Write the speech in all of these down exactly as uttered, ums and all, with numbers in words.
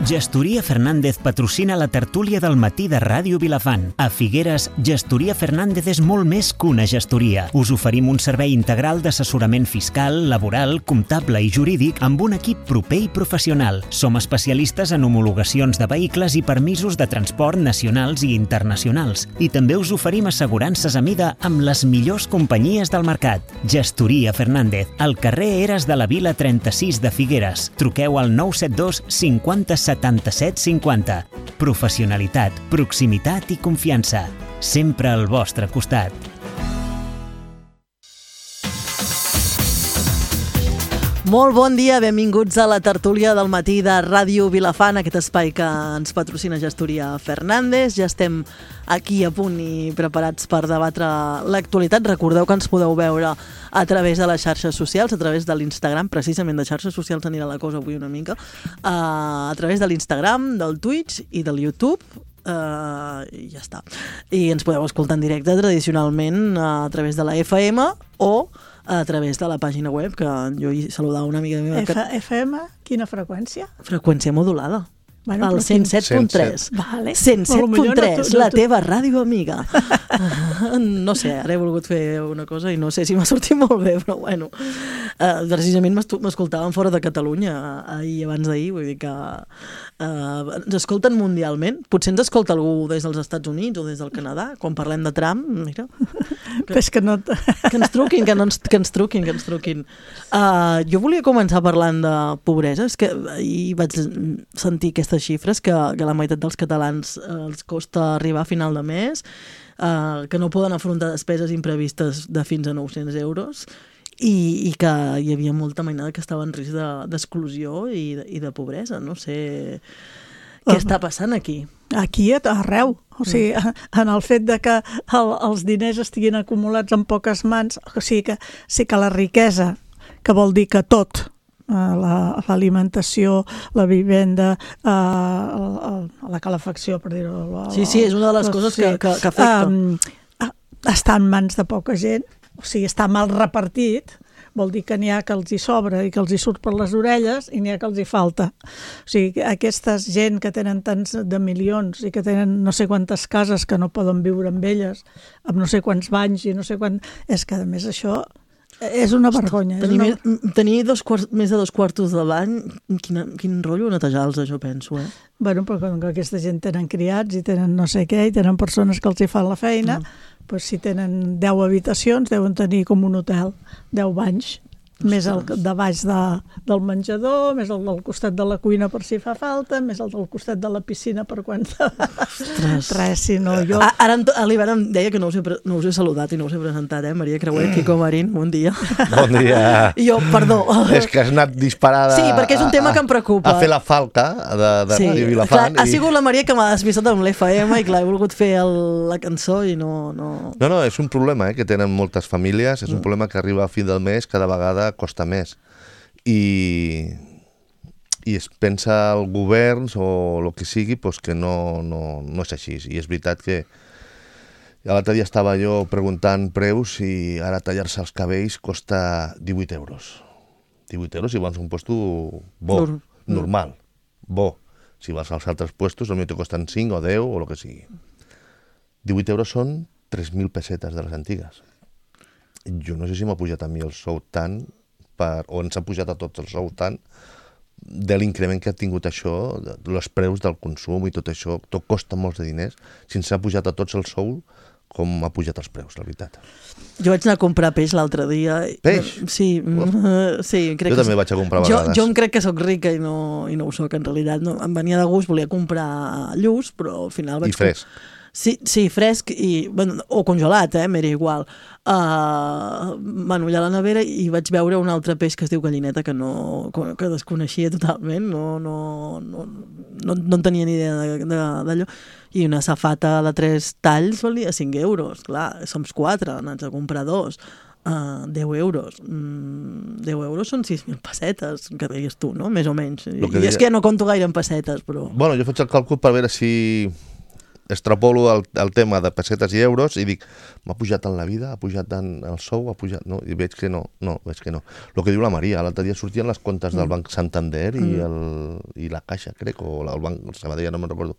Gestoria Fernández patrocina la tertúlia del matí de Ràdio Vilafant. A Figueres, Gestoria Fernández és molt més que una gestoria. Us oferim un servei integral d'assessorament fiscal, laboral, comptable i jurídic amb un equip proper i professional. Som especialistes en homologacions de vehicles i permisos de transport nacionals i internacionals. I també us oferim assegurances a mida amb les millors companyies del mercat. Gestoria Fernández, al carrer Eres de la Vila trenta-sis de Figueres. Truqueu al nou set dos cinquanta setanta-set cinquanta. Professionalitat, proximitat i confiança. Sempre al vostre costat. Molt bon dia, benvinguts a la tertúlia del matí de Ràdio Vilafant, aquest espai que ens patrocina Gestoria Fernández. Ja estem aquí a punt i preparats per debatre l'actualitat. Recordeu que ens podeu veure a través de les xarxes socials, a través de l'Instagram, precisament de xarxes socials anirà la cosa avui una mica, a través de l'Instagram, del Twitch i del YouTube. Uh, i ja està. I ens podeu escoltar en directe tradicionalment a través de la F M o a través de la pàgina web, que jo hi saludava una amiga meva. F- FM, quina freqüència? Freqüència modulada. Bueno, el cent set punt tres. Vale. cent set punt tres, no, no, la no, teva ràdio amiga. No sé, ara he volgut fer una cosa i no sé si m'ha sortit molt bé, però bueno. Uh, precisament m'escoltaven fora de Catalunya ahir, abans d'ahir, vull dir que uh, ens escolten mundialment. Potser ens escolta algú des dels Estats Units o des del Canadà, quan parlem de Trump, mira. Que, és que, no t... que ens truquin, que, no ens, que ens truquin, que ens truquin. Uh, jo volia començar parlant de pobresa. És que ahir vaig sentir aquestes xifres que, que la meitat dels catalans eh, els costa arribar a final de mes, eh, que no poden afrontar despeses imprevistes de fins a nou-cents euros i, i que hi havia molta mainada que estava en risc de, d'exclusió i de, i de pobresa. No sé què està passant aquí. Aquí arreu. O sigui, en el fet de que el, els diners estiguin acumulats en poques mans, o sigui que, sí que la riquesa, que vol dir que tot, La, l'alimentació, la vivenda, uh, la, la calefacció, per dir-ho. La, sí, sí, és una de les coses sí, que, que, que afecta. Um, està en mans de poca gent, o sigui, està mal repartit, vol dir que n'hi ha que els hi sobra i que els hi surt per les orelles i n'hi ha que els hi falta. O sigui, aquesta gent que tenen tants de milions i que tenen no sé quantes cases que no poden viure amb elles, amb no sé quants banys i no sé quant... És que, a més, això... És una vergonya. Tenir, és una... tenir dos quarts, més de dos quartos de bany, quin, quin rotllo netejar-los, jo penso, eh? Bueno, però com que aquesta gent tenen criats i tenen no sé què, i tenen persones que els hi fan la feina, mm. doncs si tenen deu habitacions, deuen tenir com un hotel, deu banys, Ostres. Més el de baix de, del menjador, més el del costat de la cuina per si fa falta, més el del costat de la piscina per quan... Ostres. Res, si no, jo... Ara a l'hivern em deia que no us, he, no us he saludat i no us he presentat, eh? Maria Creuer, Quico Marín, bon dia. Bon dia. I jo, perdó. És que has anat disparada... Sí, perquè és un tema a, que em preocupa. A fer la falca de, de sí, Ràdio Vilafant. Clar, i... Ha sigut la Maria que m'ha despistat amb l'F M i clar, he volgut fer el, la cançó i no... No, no, no és un problema eh, que tenen moltes famílies, és un mm. problema que arriba a fi del mes, cada vegada costa més. I, i es pensa el govern o el que sigui pues que no, no, no és així. I és veritat que l'altre dia estava jo preguntant preus i ara tallar-se els cabells costa divuit euros. divuit euros si vas a un puesto bo, Nur. normal, bo. Si vas als altres puestos potser te costen cinc o deu o el que sigui. divuit euros són tres mil pessetes de les antigues. Jo no sé si m'ha pujat a mi el sou tant Per, o ens ha pujat a tots els sous tant de l'increment que ha tingut això, els preus del consum i tot això, tot costa molts de diners, si ens ha pujat a tots el sou com ha pujat els preus, la veritat. Jo vaig anar a comprar peix l'altre dia. Peix? Sí, uh, sí crec jo que també vaig a comprar a jo, vegades. jo em crec que sóc rica i no, i no ho soc, en realitat. No, em venia de gust, volia comprar lluç, però al final vaig... I fresc. Sí, sí, fresc i, bueno, o congelat, eh, m'era igual. Uh, bueno, allà a la nevera i vaig veure un altre peix que es diu gallineta que no que desconeixia totalment, no, no, no, no, no en tenia ni idea d'allò. I una safata de tres talls valia cinc euros. Clar, som quatre, n'haig de comprar dos. Uh, deu euros. Mm, deu euros són sis mil pessetes, que deies tu, no? Més o menys. I deia... és que ja no compto gaire en pessetes, però... Bueno, jo faig el càlcul per veure si... extrapolo el, el tema de pessetes i euros i dic, m'ha pujat tant la vida, ha pujat tant el sou, ha pujat... No, i veig que no, no, veig que no. El que diu la Maria, l'altre dia sortien les comptes del Banc Santander i, el, i la Caixa, crec, o el Banc Sabadell, no me'n recordo,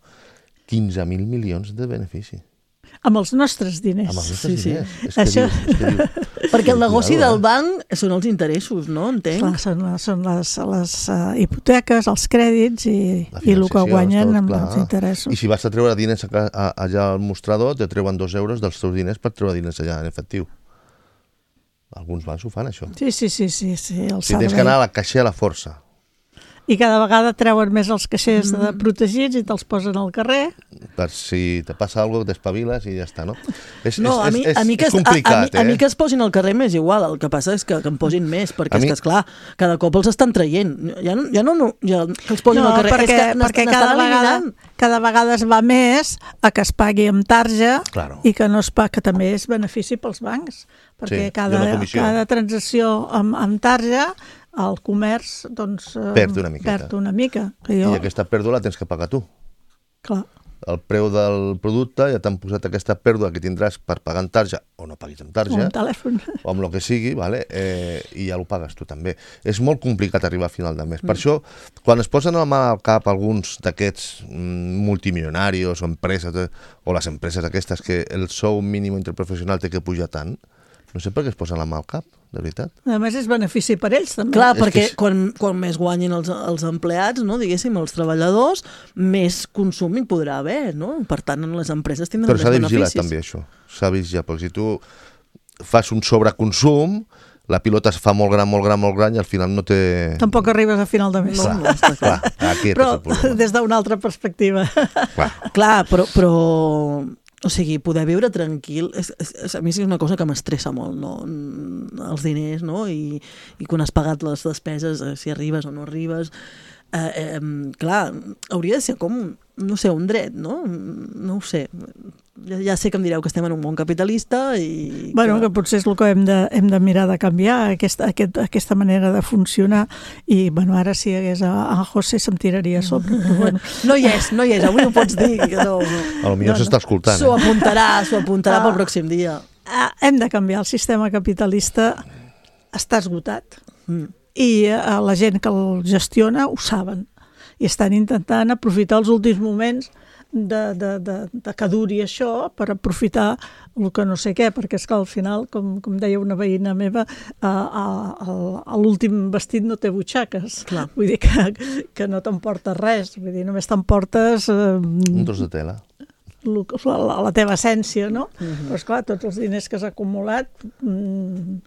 quinze mil milions de benefici. Amb els nostres diners. Amb els nostres Sí, sí. diners. És que Això- diu, és que diu, Perquè el negoci Cuidado, del banc són els interessos, no? Entenc. Clar, són, són les, les uh, hipoteques, els crèdits i, la i el que financiació, guanyen tot, amb clar. els interessos. I si vas a treure diners a, a, allà al mostrador, te treuen dos euros dels teus diners per treure diners allà en efectiu. Alguns bancs ho fan, això. Sí, sí, sí, sí, sí el Si tens que servei. anar a la caixa a la força. I cada vegada treuen més els caixers mm. protegits i te'ls posen al carrer. Per si te passa alguna cosa, t'espaviles i ja està, no? És, No, a és, mi, és, a mi que, és complicat, a, a, mi, eh? a mi que es posin al carrer m'és igual, el que passa és que, que em posin més, perquè A és mi- que, esclar, cada cop els estan traient. Ja no, ja no, no ja, que els posin No, al carrer, perquè, és que perquè n'estan cada, vegada, eliminant. cada vegada es va més a que es pagui amb tarja Claro. i que no es pagui, que també és benefici pels bancs, perquè Sí, cada, i una comissió. cada transacció amb, amb tarja el comerç doncs, eh, Perd una miqueta. perd una mica. Que jo, I aquesta pèrdua la tens que pagar tu. clar, El preu del producte ja t'han posat aquesta pèrdua que tindràs per pagar en tarja o no paguis en o tarja un telèfon. o amb el que sigui, vale? eh, i ja ho pagues tu també. És molt complicat arribar a final de mes. Mm. Per això, quan es posen la mà al cap alguns d'aquests mm, multimilionaris o empreses, eh, o les empreses aquestes que el sou mínim interprofessional té que pujar tant, no sé per què es posen la mà al cap, de veritat. A més, és benefici per ells, també. Clar, És perquè que és- quan, quan més guanyin els, els empleats, no, diguéssim, els treballadors, més consum hi podrà haver, no? Per tant, les empreses tindran Però més s'ha de vigilar beneficis. també això. S'ha de vigilar, perquè si tu fas un sobreconsum, la pilota es fa molt gran, molt gran, molt gran i al final no té... Tampoc arribes a final de mes. No, no, està clar. Clar, aquest Però és el problema. des d'una altra perspectiva. Clar. Clar, però, però o sigui, poder viure tranquil, és, és, és, a mi és una cosa que m'estressa molt, no? Els diners, no? I, i quan has pagat les despeses, eh, si arribes o no arribes, eh, eh, clar, hauria de ser com, no sé, un dret, no? No ho sé. Ja, ja sé que em direu que estem en un món capitalista i... Bueno, que potser és el que hem de, hem de mirar de canviar, aquesta, aquest, aquesta manera de funcionar. I, bueno, ara si hi hagués a, a José se'm tiraria a sobre. Però, bueno. No hi és, no hi és, avui ho pots dir. Que no, A lo millor No, no. s'està escoltant. S'ho Eh? apuntarà, s'ho apuntarà Ah. pel pròxim dia. Ah, hem de canviar. El sistema capitalista està esgotat. Mm. I eh, la gent que el gestiona ho saben. I estan intentant aprofitar els últims moments de, de, de, de que duri això per aprofitar el que no sé què, perquè és que al final, com, com deia una veïna meva, a, a, a l'últim vestit no té butxaques. Clar. Vull dir que, que no t'emportes res, vull dir, només t'emportes eh, Un tros de tela. la, la teva essència, no? Mm-hmm. Però esclar, tots els diners que has acumulat mm,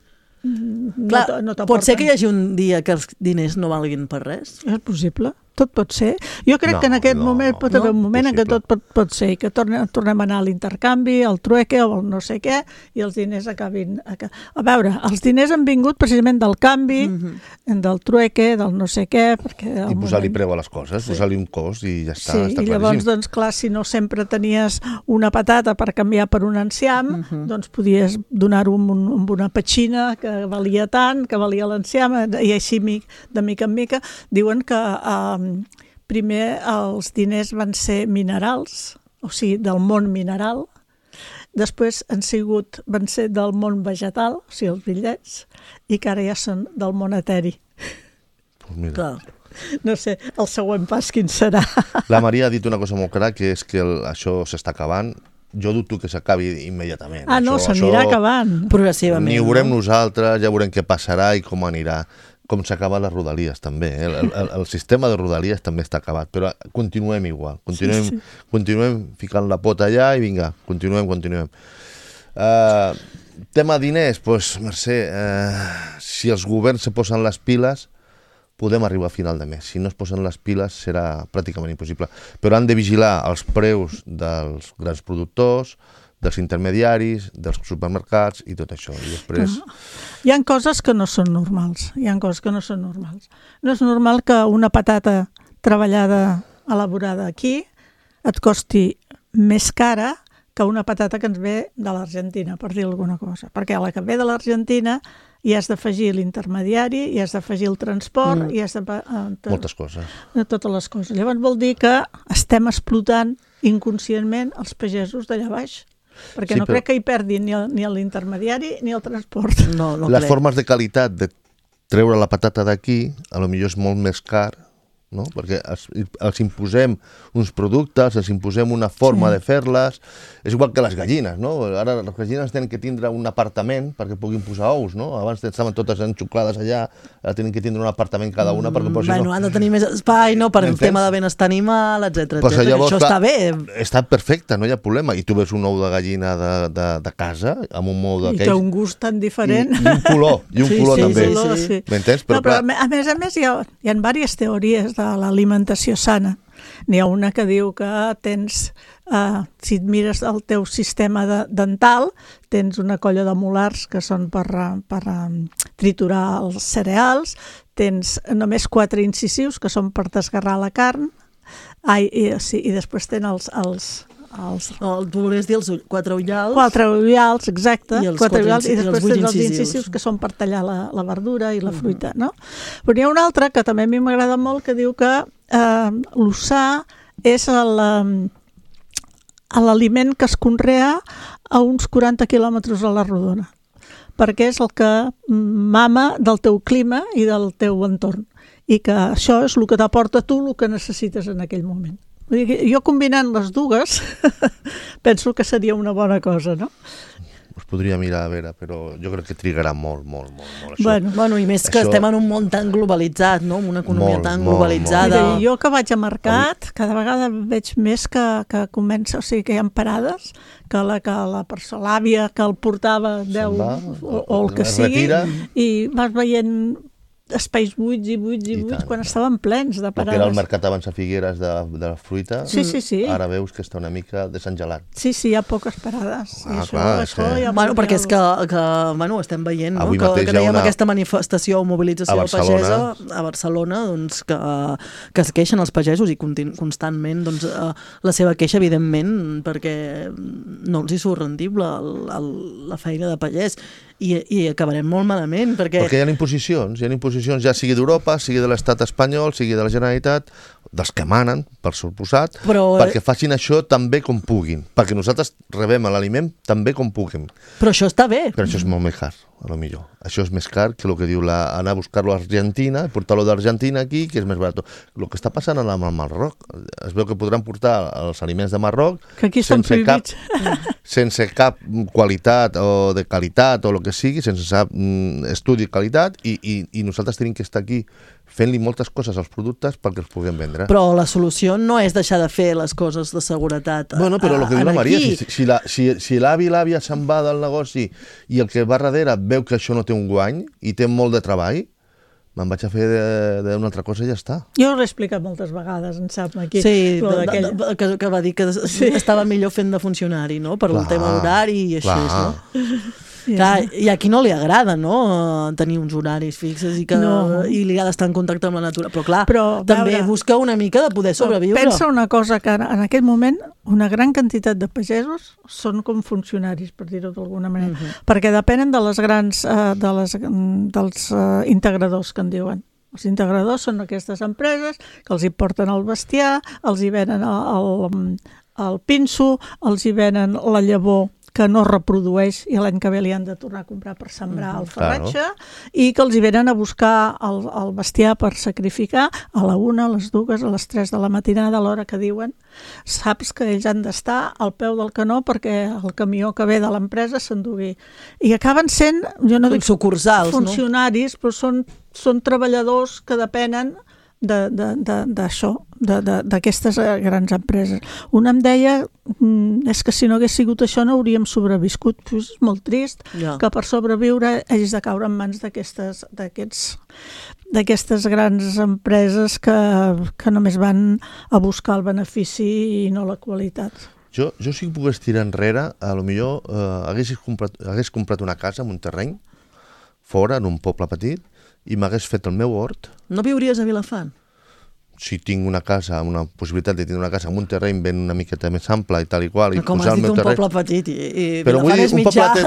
Clar, no, t- no pot ser que hi t'aporten. hagi un dia que els diners no valguin per res? És possible, tot pot ser. Jo crec No, que en aquest no, moment pot haver no, un moment en què possible. tot pot, pot ser, i que tornem, tornem a anar a l'intercanvi, al trueque o al no sé què, i els diners acabin... A, a veure, els diners han vingut precisament del canvi, mm-hmm. del trueque, del no sé què, perquè... I posar-li preu a les coses, sí. posar-li un cost i ja està, Sí, està i llavors, claríssim. doncs, clar, si no sempre tenies una patata per canviar per un enciam, uh -huh. doncs podies donar-ho amb, un, amb una petxina que valia tant, que valia l'enciam, i així de mica en mica. Diuen que eh, primer els diners van ser minerals, o sigui, del món mineral, després han sigut, van ser del món vegetal, o sigui, els bitllets, i que ara ja són del món eteri. Pues mira. Clar. No sé, el següent pas quin serà. La Maria ha dit una cosa molt clara, que és que el, això s'està acabant. Jo dubto que s'acabi immediatament. Ah, no, Això- s'anirà això acabant. Progressivament. Ni ho veurem no? nosaltres, ja veurem què passarà i com anirà. Com s'acaben les rodalies, també. Eh? El, el, el sistema de rodalies també està acabat, però continuem igual. Continuem, Sí, sí. continuem ficant la pota allà i vinga, continuem, continuem. Uh, tema diners, doncs, Mercè, uh, si els governs se posen les piles, podem arribar a final de mes. Si no es posen les piles serà pràcticament impossible. Però han de vigilar els preus dels grans productors, dels intermediaris, dels supermercats i tot això. I després... Hi ha coses que no són normals. Hi ha coses que no són normals. No és normal que una patata treballada, elaborada aquí, et costi més cara que una patata que ens ve de l'Argentina, per dir alguna cosa. Perquè a la que ve de l'Argentina hi has d'afegir l'intermediari, hi has d'afegir el transport, Mm. hi has de... eh, Moltes coses. de totes les coses. Llavors vol dir que estem explotant inconscientment els pagesos d'allà baix. Perquè Sí, no però- crec que hi perdin ni, el, ni l'intermediari ni el transport. No, no Les crec. formes de qualitat de treure la patata d'aquí, a lo millor és molt més car, no? Perquè els, els imposem uns productes, els imposem una forma Sí. de fer-les. És igual que les gallines, no? Ara les gallines tenen que tindre un apartament perquè puguin posar ous, no? Abans estaven totes enxuclades allà, ara tenen que tindre un apartament cada una perquè Mm, si bueno, no... han de tenir més espai, no?, per el M'entens? tema de benestar animal, etcètera, Pues etcètera. llavors, Això clar, està bé. Està perfecte, no hi ha problema. I tu ves un ou de gallina de, de, de casa, amb un ou I d'aquells... té un gust tan I, diferent. I un color, i un Sí, color sí, també. sí, Color, sí. sí. M'entens? No, Però, però a clar, me- a més a més hi ha, hi ha diverses teories de l'alimentació sana. N'hi ha una que diu que tens, eh, si et mires el teu sistema de, dental, tens una colla de molars que són per, eh, per eh, triturar els cereals, tens només quatre incisius que són per desgarrar la carn, ai, i, sí, i després tens els, els, els No, tu volies dir els ull- quatre ullals. quatre ullals, exacte, I els quatre quatre ullals, i inci- i els després vuit tens els incisius. incisius que són per tallar la, la verdura i la fruita, no? Però n'hi ha una altra que també a mi m'agrada molt que diu que eh, l'ossà és el, eh, l'aliment que es conrea a uns quaranta quilòmetres a la rodona, perquè és el que mama del teu clima i del teu entorn, i que això és el que t'aporta tu el que necessites en aquell moment. Vull dir que jo combinant les dues penso que seria una bona cosa, no? us podria mirar a veure, però jo crec que trigarà molt, molt, molt, molt això. Bueno, Bueno, i més que Això- estem en un món tan globalitzat, no?, amb una economia Molt, tan molt, globalitzada. Mira, jo que vaig a mercat, cada vegada veig més que, que comença, o sigui, que hi ha parades, que la, que la persona, l'àvia que el portava deu, va, o, o el que es sigui, retira. i vas veient espais buits i buits i, I buits tant. quan estaven plens de El que era el parades. mercat abans a Figueres de, de la fruita, Sí, sí, sí. ara veus que està una mica desengelat. Sí, sí, hi ha poques parades. I Ah, això, clar, és això que- ja Bueno, vol perquè és que, dir que bueno, estem veient, no?, Avui que, mateix que hi ha dèiem una- aquesta manifestació o mobilització a Barcelona. pagesa a Barcelona, doncs, que, que es queixen els pagesos i continu, constantment doncs, eh, la seva queixa, evidentment, perquè no els hi surt rendible el, el, la feina de pagès i, i acabarem molt malament, perquè... Perquè hi ha imposicions, hi ha imposicions ja sigui d'Europa, sigui de l'estat espanyol, sigui de la Generalitat, dels que manen, per suposat, Però- perquè facin això tan bé com puguin, perquè nosaltres rebem l'aliment tan bé com puguem. Però això està bé. Però això és molt més car, a lo millor. Això és més car que el que diu la, anar a buscar-lo a Argentina, portar-lo d'Argentina aquí, que és més barat. El que està passant amb el Marroc, es veu que podran portar els aliments de Marroc que aquí estan sense cap, prohibits. sense cap qualitat o de qualitat o el que sigui, sense cap mm, estudi de qualitat, i, i, i nosaltres tenim que estar aquí fent-li moltes coses als productes perquè els puguem vendre. Però la solució no és deixar de fer les coses de seguretat. Bueno, però el que diu la en Maria, aquí. si, si la- si, si l'avi i l'àvia se'n va del negoci i el que va darrere veu que això no té un guany i té molt de treball, me'n vaig a fer de- d'una altra cosa i ja està. Jo l'he explicat moltes vegades, em sembla, aquí. Sí, lo de, d'aquell- de, de, que, que va dir que sí. estava millor fent de funcionari, no?, per Clar, el tema horari i així, clar. no? Sí. Clar, i a qui no li agrada, no?, tenir uns horaris fixes i, que, No. i li ha d'estar en contacte amb la natura. Però clar, Però, també veure, busca una mica de poder sobreviure. Pensa una cosa, que en en aquest moment una gran quantitat de pagesos són com funcionaris, per dir-ho d'alguna manera, Mhm. perquè depenen de les grans, eh, de les, mm, dels eh, integradors que en diuen. Els integradors són aquestes empreses que els hi porten el bestiar, els hi venen el, el, el pinso, els hi venen la llavor que no reprodueix i l'any que ve li han de tornar a comprar per sembrar el farratge, i que els hi venen a buscar el, el bestiar per sacrificar a la una, a les dues, a les tres de la matinada, a l'hora que diuen. Saps que ells han d'estar al peu del canó perquè el camió que ve de l'empresa s'endugui. I acaben sent, jo no dic Sucursals, no? funcionaris, però són, són treballadors que depenen de- de- de- d'això, de, de, d'aquestes eh, grans empreses. Una em deia, mm, és que si no hagués sigut això no hauríem sobreviscut. Pues és molt trist Ja. que per sobreviure hagis de caure en mans d'aquestes d'aquests d'aquestes grans empreses que, que només van a buscar el benefici i no la qualitat. Jo, jo si pogués tirar enrere, a lo millor eh, hagués, comprat, hagués comprat una casa en un terreny, fora, en un poble petit, i m'hagués fet el meu hort. No viuries a Vilafant? si tinc una casa, una possibilitat de tenir una casa amb un terreny ben una miqueta més ample i tal i qual, i com posar has el dit, meu un terreny... poble petit i, i Però Vilafant és mitjà. Té...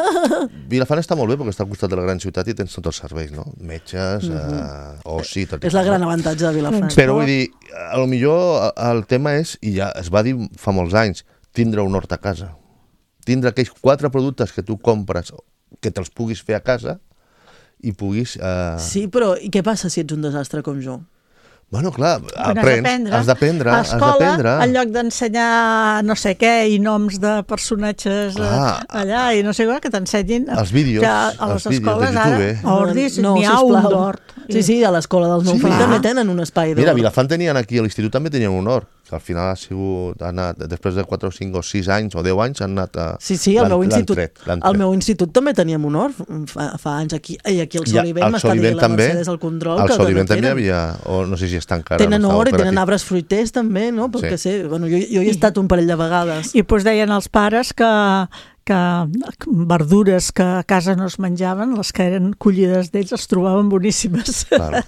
Vilafant està molt bé perquè està al costat de la gran ciutat i tens tots els serveis, no? Metges, mm -hmm. eh, oci... Tot és la gran avantatge de Vilafant. Però vull dir, a lo millor el tema és, i ja es va dir fa molts anys, tindre un hort a casa. Tindre aquells quatre productes que tu compres, que te'ls puguis fer a casa i puguis... Eh... Sí, però i què passa si ets un desastre com jo? Bueno, clar, aprens, has d'aprendre, a has d'aprendre. En lloc d'ensenyar no sé què i noms de personatges ah, allà i no sé què, que t'ensenyin... Els vídeos, a les escoles ara, a Ordis, no, n'hi ha un d'hort. Sí, sí, a l'escola dels meus fills també tenen un espai d'hort. Mira, a Vilafant tenien aquí, a l'institut també tenien un hort, que al final ha sigut, ha anat, després de quatre o cinc o sis anys o deu anys han anat a... Sí, sí, al meu institut, al meu institut també teníem un hort fa, fa anys aquí, i aquí al Solivent m'està dient la Mercedes al control. Al Solivent també hi havia, o no sé si està encara... Tenen hort i tenen arbres fruiters també, no? Perquè sí. sé, bueno, jo, jo hi he estat un parell de vegades. I doncs deien els pares que que verdures que a casa no es menjaven, les que eren collides d'ells, els trobaven boníssimes. Claro.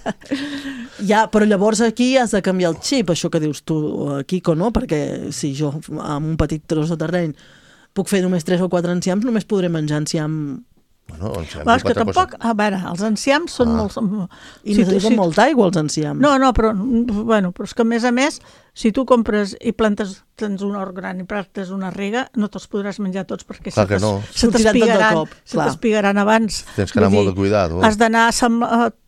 Ja, però llavors aquí has de canviar el xip, això que dius tu, Quico, no? Perquè si jo amb un petit tros de terreny puc fer només tres o quatre enciams, només podré menjar enciam... Bueno, enciam és que tampoc, cosa... a veure, els enciams són ah. molts... I si necessiten si... molta aigua, els enciams. No, no, però, bueno, però és que a més a més, si tu compres i plantes, tens un hort gran i plantes una rega, no te'ls podràs menjar tots perquè clar se, no. se t'espigaran se t'espigaran abans. Tens que anar molt de cuidat. Oh. Has d'anar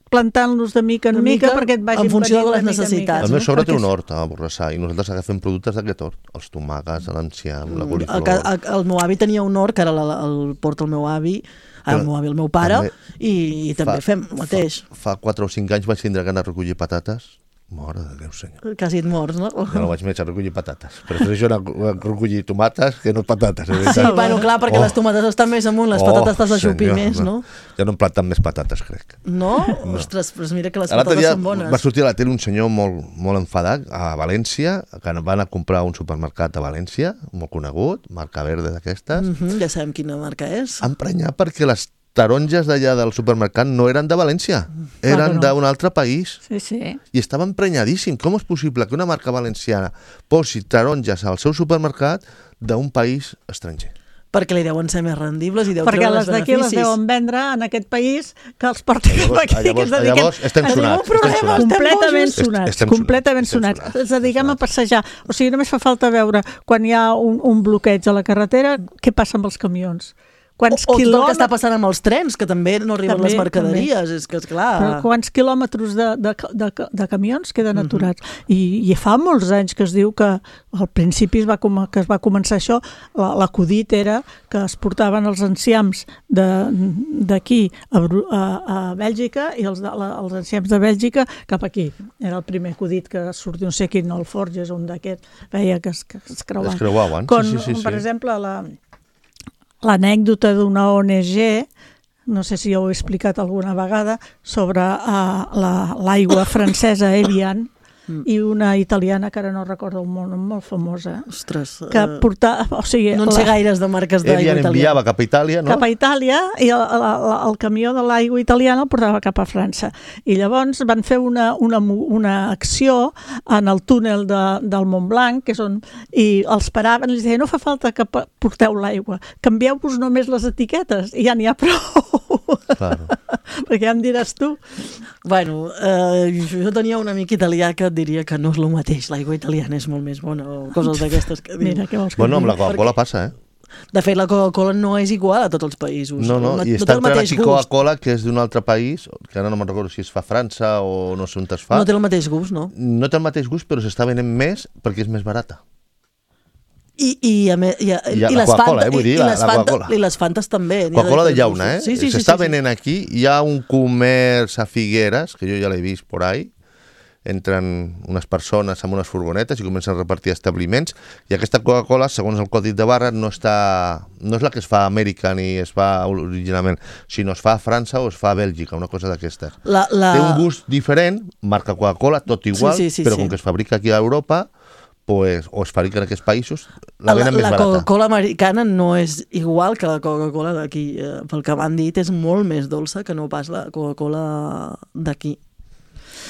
plantant-los de mica en mica, mica perquè et vagin en funció de les necessitats. El meu sogre té un hort a Borrassà i nosaltres agafem productes d'aquest hort, els tomàquets, l'enciam, la coliflor... El, el meu avi tenia un hort, que ara el, el porta el meu avi, el meu avi, el meu pare, també, i, i també fa, fem el mateix. Fa, fa quatre o cinc anys vaig tindre ganes de recollir patates. Mare de Déu, senyor. Quasi et morts, no? Jo no vaig més a recollir patates. Prefereixo anar a recollir tomates que no patates. Sí, bueno, clar, perquè oh. les tomates estan més amunt, les oh, patates t'has de xupir més, no? Ja no em planten més patates, crec. No? no? Ostres, però mira que les patates són bones. Va sortir a la tele un senyor molt, molt enfadat a València, que van a comprar un supermercat a València, molt conegut, marca verde d'aquestes. Mm -hmm, ja sabem quina marca és. Emprenyar perquè les taronges d'allà del supermercat no eren de València, eren no. d'un altre país. Sí, sí. I estava emprenyadíssim. Com és possible que una marca valenciana posi taronges al seu supermercat d'un país estranger? Perquè li deuen ser més rendibles i deu perquè treure els beneficis. Perquè les d'aquí les deuen vendre en aquest país que els porten cap aquí. Llavors, que llavors estem sonats. Estem sonats. Completament sonats. Estem completament sonats. sonats. Ens dediquem a passejar. O sigui, només fa falta veure quan hi ha un, un bloqueig a la carretera, què passa amb els camions. Quants o, o quilòmetres... tot el que està passant amb els trens, que també no arriben també, les mercaderies, també. És que, esclar... Però quants quilòmetres de, de, de, de camions queden aturats? Uh-huh. I, I fa molts anys que es diu que al principi es va, que es va començar això, l'acudit era que es portaven els enciams d'aquí a, a, a Bèlgica i els, de, la, els enciams de Bèlgica cap aquí. Era el primer acudit que sortia, no sé quin, el Forges, un d'aquest, veia que es, que es creuaven. Es creuaven, Con, sí, sí, sí. Per exemple, la... l'anècdota d'una O N G, no sé si ho he explicat alguna vegada, sobre uh, l'aigua la, francesa Evian mm. i una italiana que ara no recordo el nom, molt famosa. Ostres. Que portava, o sigui, no en sé la, gaires de marques d'aigua italiana. Evian enviava cap a Itàlia, no? Cap a Itàlia i el, el, el camió de l'aigua italiana el portava cap a França. I llavors van fer una, una, una acció en el túnel de, del Montblanc, que és on, i els paraven i els deien, no fa falta que porteu l'aigua, canvieu-vos només les etiquetes i ja n'hi ha prou. Claro. Perquè ja em diràs tu. Bueno, eh, jo tenia un amic italià que et diria que no és el mateix, l'aigua italiana és molt més bona o coses d'aquestes que diu. Mira, què vols que bueno, amb la Coca-Cola Perquè... passa, eh? De fet, la Coca-Cola no és igual a tots els països. No, no, i està entrant aquí Coca-Cola, que és d'un altre país, que ara no me'n recordo si es fa a França o no sé on es fa. No té el mateix gust, no? No té el mateix gust, però s'està venent més perquè és més barata. I, i, a me, i, a, I, i les Coca-Cola, eh, vull dir, i, la, les la Fanta, Coca-Cola. I les Fantes també. Coca-Cola de llauna, eh? Sí, sí, s'està sí, sí, venent sí. aquí, hi ha un comerç a Figueres, que jo ja l'he vist por ahí, entren unes persones amb unes furgonetes i comencen a repartir establiments, i aquesta Coca-Cola, segons el codi de barra, no està, no és la que es fa a Amèrica ni es fa originalment, sinó es fa a França o es fa a Bèlgica, una cosa d'aquestes. La, la... Té un gust diferent, marca Coca-Cola, tot igual, sí, sí, sí, però sí. com que es fabrica aquí a Europa, pues, o es fabrica en aquests països, la venen més la barata. La Coca-Cola americana no és igual que la Coca-Cola d'aquí. Pel que m'han dit, és molt més dolça que no pas la Coca-Cola d'aquí.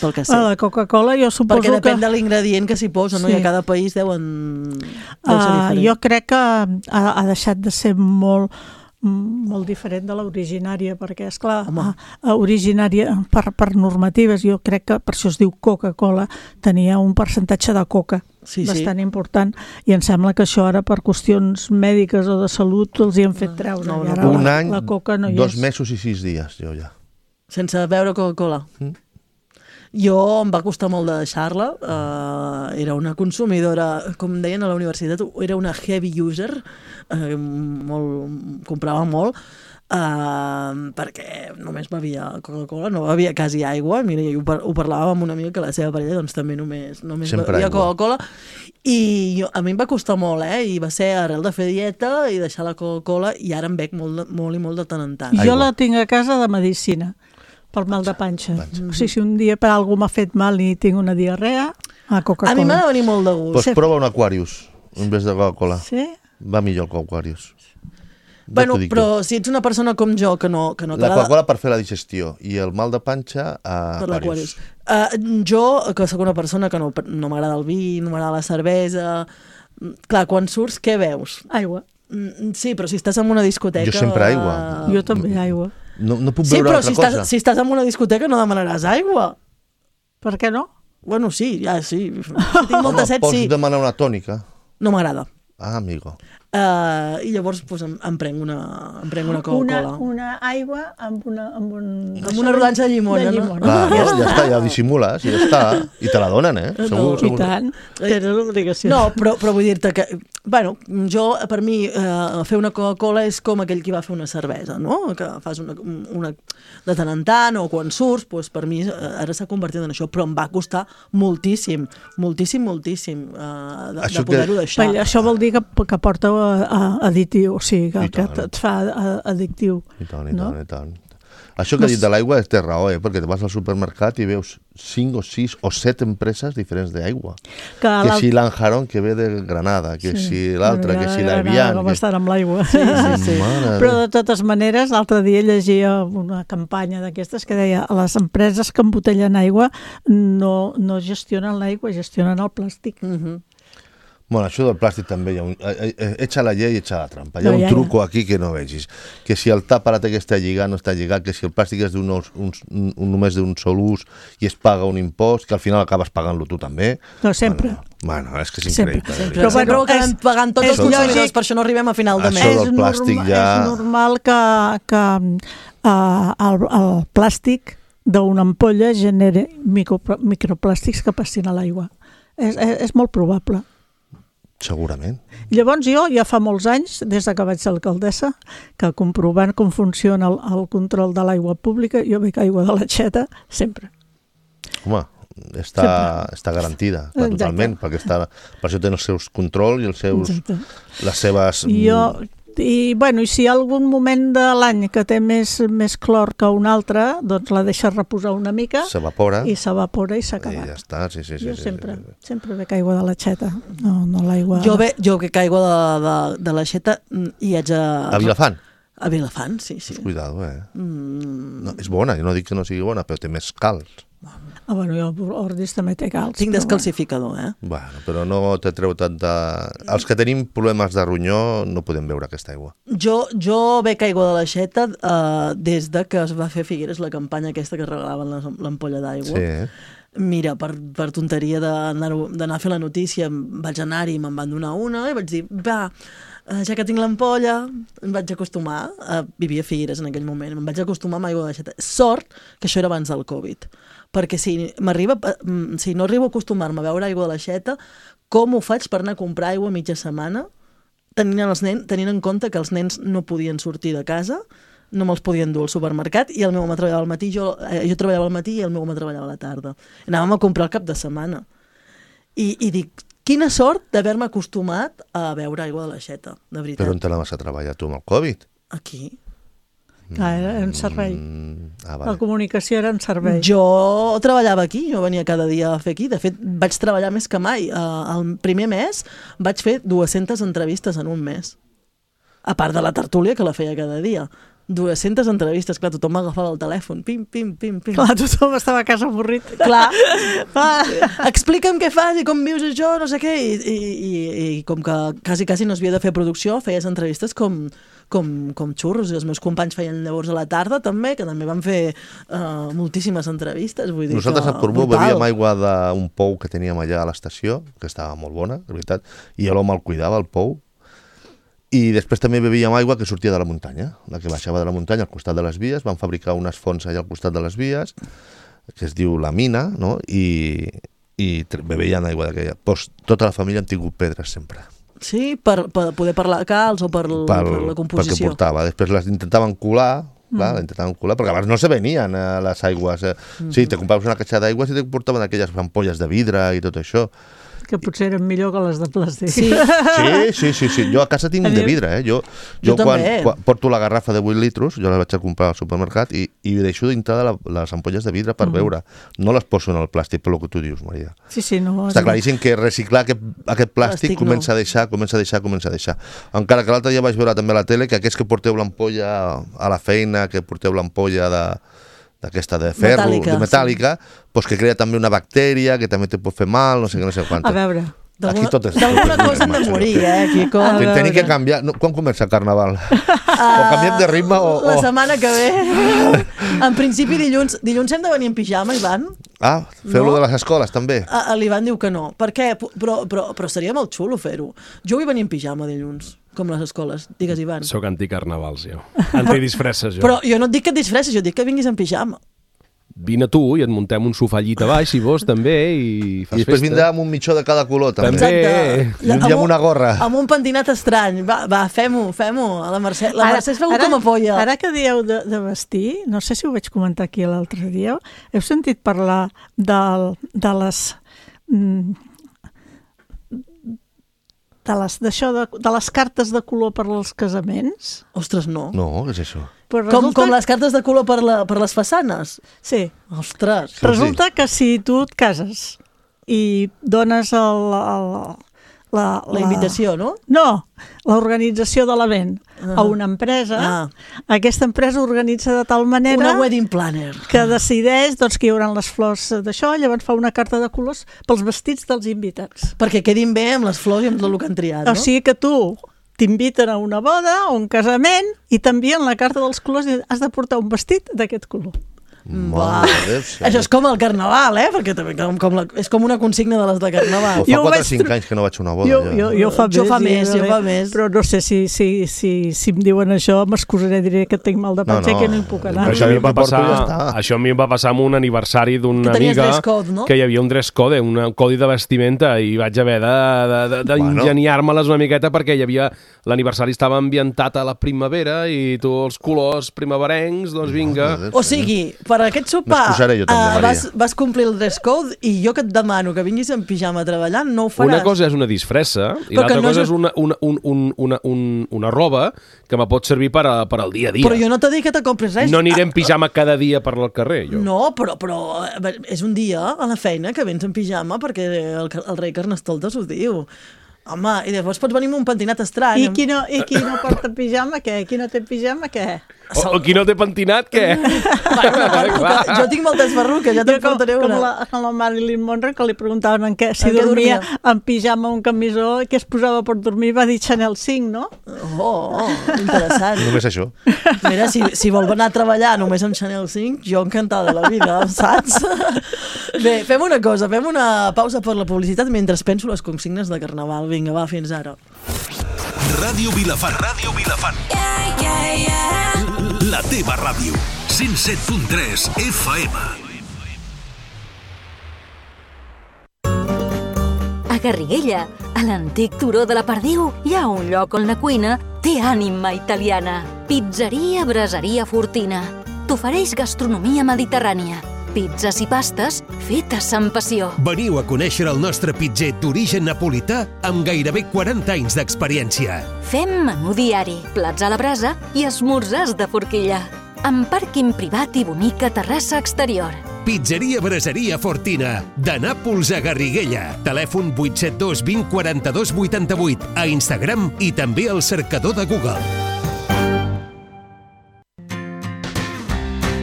pel que sé. La Coca-Cola jo suposo Perquè depèn que... de l'ingredient que s'hi posa, no? Sí. I a cada país deuen... deu ser Uh, diferent. jo crec que ha, ha deixat de ser molt molt diferent de l'originària, perquè, esclar, Home. uh, originària per, per normatives, jo crec que per això es diu Coca-Cola, tenia un percentatge de coca Sí, sí. bastant important, i em sembla que això ara per qüestions mèdiques o de salut els hi han fet treure. no, I no. ara Un la, any, la coca no hi dos és. mesos i sis dies, jo ja. Sense beure Coca-Cola. Mm. Jo em va costar molt de deixar-la. Uh, era una consumidora, com deien a la universitat, era una heavy user, uh, molt, comprava molt, uh, perquè només bevia Coca-Cola, no bevia quasi aigua. Mira, jo ho, par ho parlava amb una amiga que la seva parella doncs, també només, només Sempre bevia aigua. Coca-Cola. I jo, a mi em va costar molt, eh? I va ser arrel de fer dieta i deixar la Coca-Cola, i ara em bec molt, de- molt i molt de tant en tant. Jo Aigua. la tinc a casa de medicina, pel mal de panxa. O sigui, si un dia per algú m'ha fet mal i tinc una diarrea, a Coca-Cola. A mi m'ha de venir molt de gust. Pues prova un Aquarius en vez de Coca-Cola. Sí? Va millor que Aquarius. Ja Bueno, t'ho dic però si ets una persona com jo que no, que no jo. La t'agrada... Coca-Cola per fer la digestió i el mal de panxa a Per Aquarius. l'Aquarius. Uh, jo, que sóc una persona que no, no m'agrada el vi, no m'agrada la cervesa... mm, Clar, quan surts, què veus? Aigua. Mm, Sí, però si estàs en una discoteca... Jo sempre aigua. eh, Jo també, aigua. No, no puc Sí, beure però altra si cosa. estàs, si estàs en una discoteca no demanaràs aigua. Per què no? Bueno, sí, ja, sí. Si tinc molta Home, set, pots sí. demanar una tònica. No m'agrada. Ah, amigo. Uh, I llavors pues, em, em prenc una, em prenc una Una, Coca-Cola. una aigua amb, una, amb un... Amb una rodanxa de llimona, de no? llimona. Clar, no? Ja està, ja ho dissimules i ja està. I te la donen, eh? No, Segur, I segur. tant, tens l'obligació. No, però, però vull dir-te que, bueno, jo, per mi, eh, fer una Coca-Cola és com aquell qui va fer una cervesa, no? Que fas una, una de tant en tant, o quan surts, doncs per mi eh, ara s'ha convertit en això, però em va costar moltíssim, moltíssim, moltíssim eh, de, Això de poder-ho que- deixar. Però això vol dir que, que porta a, a, additiu, o sigui, que, I que tant. et fa a- addictiu. I tant, i No? tant, i tant. Això que ha dit de l'aigua té raó, eh? Perquè te vas al supermercat i veus cinc o sis o set empreses diferents d'aigua. Que, Que l'alt- si l'Anjarón que ve de Granada, que Sí. si l'altre, Bueno, que ja si Granada, l'Avian... Com Que... estan amb l'aigua. Sí, sí, sí. Mare Però de- de totes maneres, l'altre dia llegia una campanya d'aquestes que deia les empreses que embotellen aigua no, no gestionen l'aigua, gestionen el plàstic. Mhm. Bueno, això del plàstic també hi ha un... eh, eh, Echa la llei i echa la trampa. Hi ha No, un ja, truco aquí que no vegis. Que si el tàpara que està lligat no està lligat, que si el plàstic és d'un, un, un, només d'un sol ús i es paga un impost, que al final acabes pagant-lo tu també. No, sempre. Bueno, bueno és que és Sempre. increïble. Sempre, Però sempre bueno, ho acabem és- pagant tots és els consumidors, lògic. per això no arribem a final de Això mes. del plàstic norma- ja- És normal que, que uh, el, el plàstic d'una ampolla generi micro, microplàstics que passin a l'aigua. És, és, és molt probable. Segurament. Llavors jo, ja fa molts anys, des de que vaig ser alcaldessa, que comprovant com funciona el, el control de l'aigua pública, jo bec aigua de l'aixeta sempre. Home, està, està garantida, clar, Exacte. totalment, perquè està, per això té els seus controls i els seus, Exacte. les seves... Jo, i, bueno, i si hi ha algun moment de l'any que té més, més clor que un altre, doncs la deixes reposar una mica S'evapora i s'evapora i s'ha i acabat. ja està, sí, sí, sí. jo sí, sempre, sí, sí. sempre bec aigua de l'aixeta, no, no l'aigua... Jo, ve, jo que caigo de, de, de l'aixeta i haig a... A Vilafant? A Vilafant, sí, sí. Cuidado, eh? Mm, No, és bona, jo no dic que no sigui bona, però té més calç. Ah, bueno, jo Ordis també té calç. tinc però descalcificador, eh? Bueno, però no te treu tanta... Els que tenim problemes de ronyó no podem beure aquesta aigua. Jo, jo bec aigua de l'aixeta uh, des de que es va fer a Figueres la campanya aquesta que regalaven les- l'ampolla d'aigua. Sí, eh? Mira, per, per tonteria d'anar d'anar a fer la notícia, em vaig anar-hi i me'n van donar una i vaig dir, va, eh, ja que tinc l'ampolla, em vaig acostumar, a vivir a Figueres en aquell moment, em vaig acostumar amb aigua de l'aixeta. Sort que això era abans del Covid, perquè si, m'arriba, mm, si no arribo a acostumar-me a beure aigua de l'aixeta, com ho faig per anar a comprar aigua mitja setmana, tenint, els nens, tenint en compte que els nens no podien sortir de casa, no me'ls podien dur al supermercat i el meu home treballava al matí, jo, eh, jo treballava al matí i el meu home treballava a la tarda. Anàvem a comprar el cap de setmana. I, i dic, quina sort d'haver-me acostumat a beure aigua de l'aixeta, de veritat. Però on te la vas a treballar tu amb el Covid? Aquí. Clar, era en servei. Mm, ah, La vale. comunicació era en servei. Jo treballava aquí, jo venia cada dia a fer aquí. De fet, vaig treballar més que mai. Uh, el primer mes vaig fer dues-centes entrevistes en un mes. A part de la tertúlia, que la feia cada dia. dues-centes entrevistes, clar, tothom m'agafava el telèfon, pim, pim, pim, pim. Clar, tothom estava a casa avorrit. Clar, explica'm què fas i com vius això, no sé què, i, i, i, i com que quasi, quasi no es havia de fer producció, feies entrevistes com, com, com xurros, i els meus companys feien llavors a la tarda també, que també van fer uh, moltíssimes entrevistes. Vull dir Nosaltres que, a Portbou brutal. bebíem aigua d'un pou que teníem allà a l'estació, que estava molt bona, de veritat, i l'home el cuidava, el pou, i després també bebíem aigua que sortia de la muntanya, la que baixava de la muntanya al costat de les vies, van fabricar unes fonts allà al costat de les vies, que es diu la mina, no? i, i bebien aigua d'aquella. Pues, tota la família han tingut pedres sempre. Sí, per, per poder parlar calç o per, Pel, per la composició. Perquè portava. Després les intentaven colar, Mm. clar, intentaven colar, perquè abans no se venien eh, les aigües. Eh. Mm. Sí, te compraves una caixa d'aigües i te portaven aquelles ampolles de vidre i tot això. Que potser eren millor que les de plàstic. Sí. Sí, sí, sí, sí. Jo a casa tinc de vidre, eh? Jo, jo, Jo quan, també. quan porto la garrafa de vuit litros, jo la vaig a comprar al supermercat i, i deixo dintre de la, les ampolles de vidre per mm. beure. No les poso en el plàstic, per lo que tu dius, Maria. Sí, sí, no. Està claríssim que reciclar aquest, aquest plàstic, Plàstic comença no. a deixar, comença a deixar, comença a deixar. Encara que l'altre dia vaig veure també a la tele que aquests que porteu l'ampolla a la feina, que porteu l'ampolla de d'aquesta de ferro, Metàl·lica, de metàl·lica, sí. Pues que crea també una bactèria que també te pot fer mal, no sé què, no sé quant. A veure, Aquí tot és... D'alguna cosa hem de morir, eh, Quico. A Tenim que veure. canviar... No, quan comença el carnaval? O canviem de ritme o... La o... setmana que ve. En principi, dilluns, dilluns hem de venir en pijama, Ivan. Ah, feu-lo No. de les escoles, també? A- L'Ivan diu que no. Per què? Però, però, però seria molt xulo fer-ho. Jo vull venir en pijama dilluns, com les escoles. Digues, Ivan. Soc anticarnavals, jo. Antidisfresses, jo. Però jo no et dic que et disfressis, jo et dic que vinguis en pijama. Vine tu i et muntem un sofà llit a baix, si vols, també, i fas I després festa. vindrà amb un mitjó de cada color, també. També. I un dia amb una gorra. Amb un pentinat estrany. Va, va fem-ho, fem-ho. A la Mercè, la Mercè es veu com a polla. Ara que dieu de, de vestir, no sé si ho vaig comentar aquí l'altre dia, heu sentit parlar del, de les... mm, de les, d'això de, de les cartes de color per als casaments? Ostres, no. No, què és això? Pues Com, resulta, com les cartes de color per, la, per les façanes. Sí, Ostres. Sí. resulta que si tu et cases i dones el, el, la, La invitació, no? No, l'organització de l'event Ah. a una empresa, Ah. aquesta empresa organitza de tal manera Una wedding planner. que decideix doncs, que hi haurà les flors d'això, llavors fa una carta de colors pels vestits dels invitats. Perquè quedin bé amb les flors i amb tot el que han triat, no? O sigui que tu t'inviten a una boda o un casament i t'envien la carta dels colors i has de portar un vestit d'aquest color. Mare de Déu, sí. Això és com el carnaval, eh? Perquè també com, com la, és com una consigna de les de carnaval. O fa Jo ho quatre o vaig cinc tro- anys que no vaig a una boda. Jo, ja. jo, jo fa Jo més, fa sí, més, jo també. fa més. Però no sé si, si, si, si em diuen això, m'excusaré, diré que tinc mal de No, panxa i no. que no hi puc anar. Però Això a mi em va Porto passar, ja està. això a mi em va passar amb un aniversari d'una Que tenies amiga dress code, no? que hi havia un dress code, un codi de vestimenta, i vaig haver de- de- de- d'engeniar-me-les una miqueta perquè hi havia l'aniversari estava ambientat a la primavera i tu els colors primaverencs, doncs vinga. Mare de Déu, O sigui, per aquest sopar M'excusaré jo també, eh, Maria. vas, vas complir el dress code i jo que et demano que vinguis en pijama treballant, no ho faràs. Una cosa és una disfressa i Però que l'altra no cosa és- és una, una, un, un, una, un, una roba que me pot servir per, a, per al dia a dia. Però jo no t'he dit que te compris res. No aniré en pijama cada dia per al carrer, jo. No, però, però eh, és un dia a la feina que vens en pijama perquè el, el rei Carnestoltes ho diu. Home, i llavors pots venir amb un pentinat estrany. I qui no, i qui no porta pijama, què? Qui no té pijama, què? O, o qui no té pentinat, què? Bueno, perruca. Jo tinc moltes perruques, ja te'n com, portaré com una. la, com la Marilyn Monroe, que li preguntaven en què, si En què dormia, dormia? en pijama o en camisó, i què es posava per dormir, va dir Chanel cinc, no? Oh, oh, interessant. Només això. Mira, si, si vol anar a treballar només amb Chanel cinc, jo encantada de la vida, saps? Bé, fem una cosa, fem una pausa per la publicitat mentre penso les consignes de Carnaval. Vinga, va, fins ara. Ràdio Vilafant. Ràdio Vilafant. Yeah, yeah, yeah. La teva ràdio. cent set punt tres F M. A Garriguella, a l'antic turó de la Perdiu, hi ha un lloc on la cuina té ànima italiana. Pizzeria Braseria Fortina. T'ofereix gastronomia mediterrània. Pizzas i pastes fetes amb passió. Veniu a conèixer el nostre pitzer d'origen napolità amb gairebé quaranta anys d'experiència. Fem menú diari, plats a la brasa i esmorzars de forquilla. Amb pàrquing privat i bonica terrassa exterior. Pizzeria Braseria Fortina, de Nàpols a Garriguella. Telèfon vuit set dos vint quaranta-dos vuitanta-vuit, a Instagram i també al cercador de Google.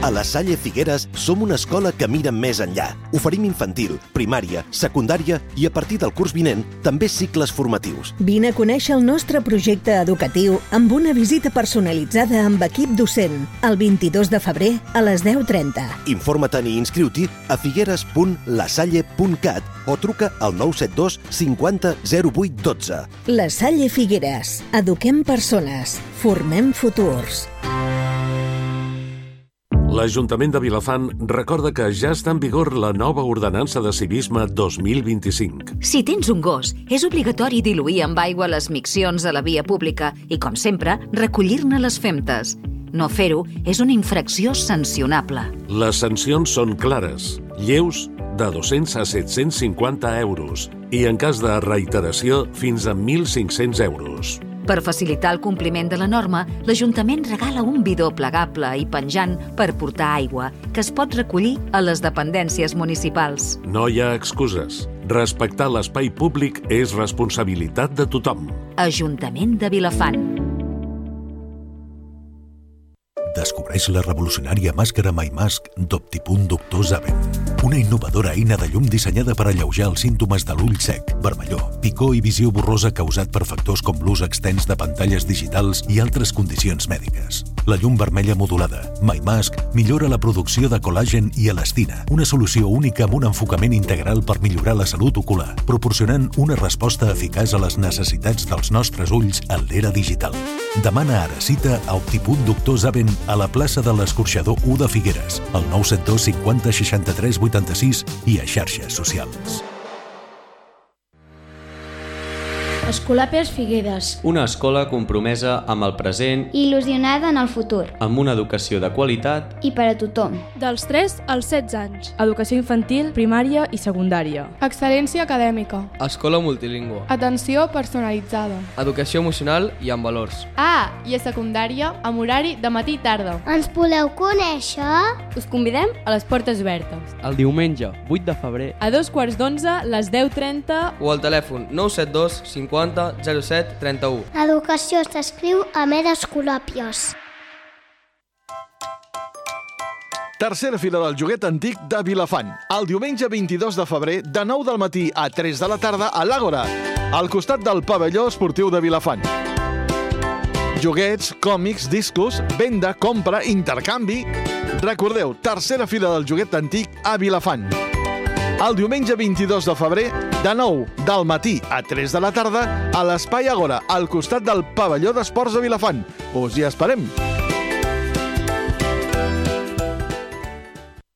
A la Salle Figueres som una escola que mira més enllà. Oferim infantil, primària, secundària i a partir del curs vinent també cicles formatius. Vine a conèixer el nostre projecte educatiu amb una visita personalitzada amb equip docent el vint-i-dos de febrer a les deu trenta. Informa't-hi i inscriu-t'hi a figueres punt la salle punt cat o truca al nou set dos cinquanta zero vuit dotze. La Salle Figueres. Eduquem persones. Formem futurs. L'Ajuntament de Vilafant recorda que ja està en vigor la nova ordenança de civisme dos mil vint-i-cinc. Si tens un gos, és obligatori diluir amb aigua les miccions a la via pública i, com sempre, recollir-ne les femtes. No fer-ho és una infracció sancionable. Les sancions són clares, lleus de dos-cents a set-cents cinquanta euros i, en cas de reiteració, fins a mil cinc-cents euros. Per facilitar el compliment de la norma, l'Ajuntament regala un bidó plegable i penjant per portar aigua, que es pot recollir a les dependències municipals. No hi ha excuses. Respectar l'espai públic és responsabilitat de tothom. Ajuntament de Vilafant. Descobreix la revolucionària màscara MyMask d'Optipunt Doctor Zaven. Una innovadora eina de llum dissenyada per alleujar els símptomes de l'ull sec, vermellor, picor i visió borrosa causat per factors com l'ús extens de pantalles digitals i altres condicions mèdiques. La llum vermella modulada, MyMask, millora la producció de col·làgen i elastina, una solució única amb un enfocament integral per millorar la salut ocular, proporcionant una resposta eficaç a les necessitats dels nostres ulls en l'era digital. Demana ara cita a Optipunt Doctor Zaven a la plaça de l'Escorxador u de Figueres, al nou set dos cinquanta seixanta-tres vuitanta-sis i a xarxes socials. Escolapes Figueres. Una escola compromesa amb el present i il·lusionada en el futur. Amb una educació de qualitat i per a tothom. Dels tres als setze anys. Educació infantil, primària i secundària. Excel·lència acadèmica. Escola multilingüe. Atenció personalitzada. Educació emocional i amb valors. Ah, i a secundària, amb horari de matí i tarda. Ens voleu conèixer? Us convidem a les portes obertes. El diumenge, vuit de febrer. A dos quarts d'onze, les deu trenta. O al telèfon nou set dos cinquanta zero set trenta-u. Educació s'escriu amb E d'Escolàpies. Tercera fira del joguet antic de Vilafant. El diumenge vint-i-dos de febrer, de nou del matí a tres de la tarda, a l'Àgora, al costat del pavelló esportiu de Vilafant. Joguets, còmics, discos, venda, compra, intercanvi... Recordeu, tercera fira del joguet antic a Vilafant. El diumenge vint-i-dos de febrer, de nou del matí a tres de la tarda, a l'Espai Àgora, al costat del pavelló d'esports de Vilafant. Us hi esperem!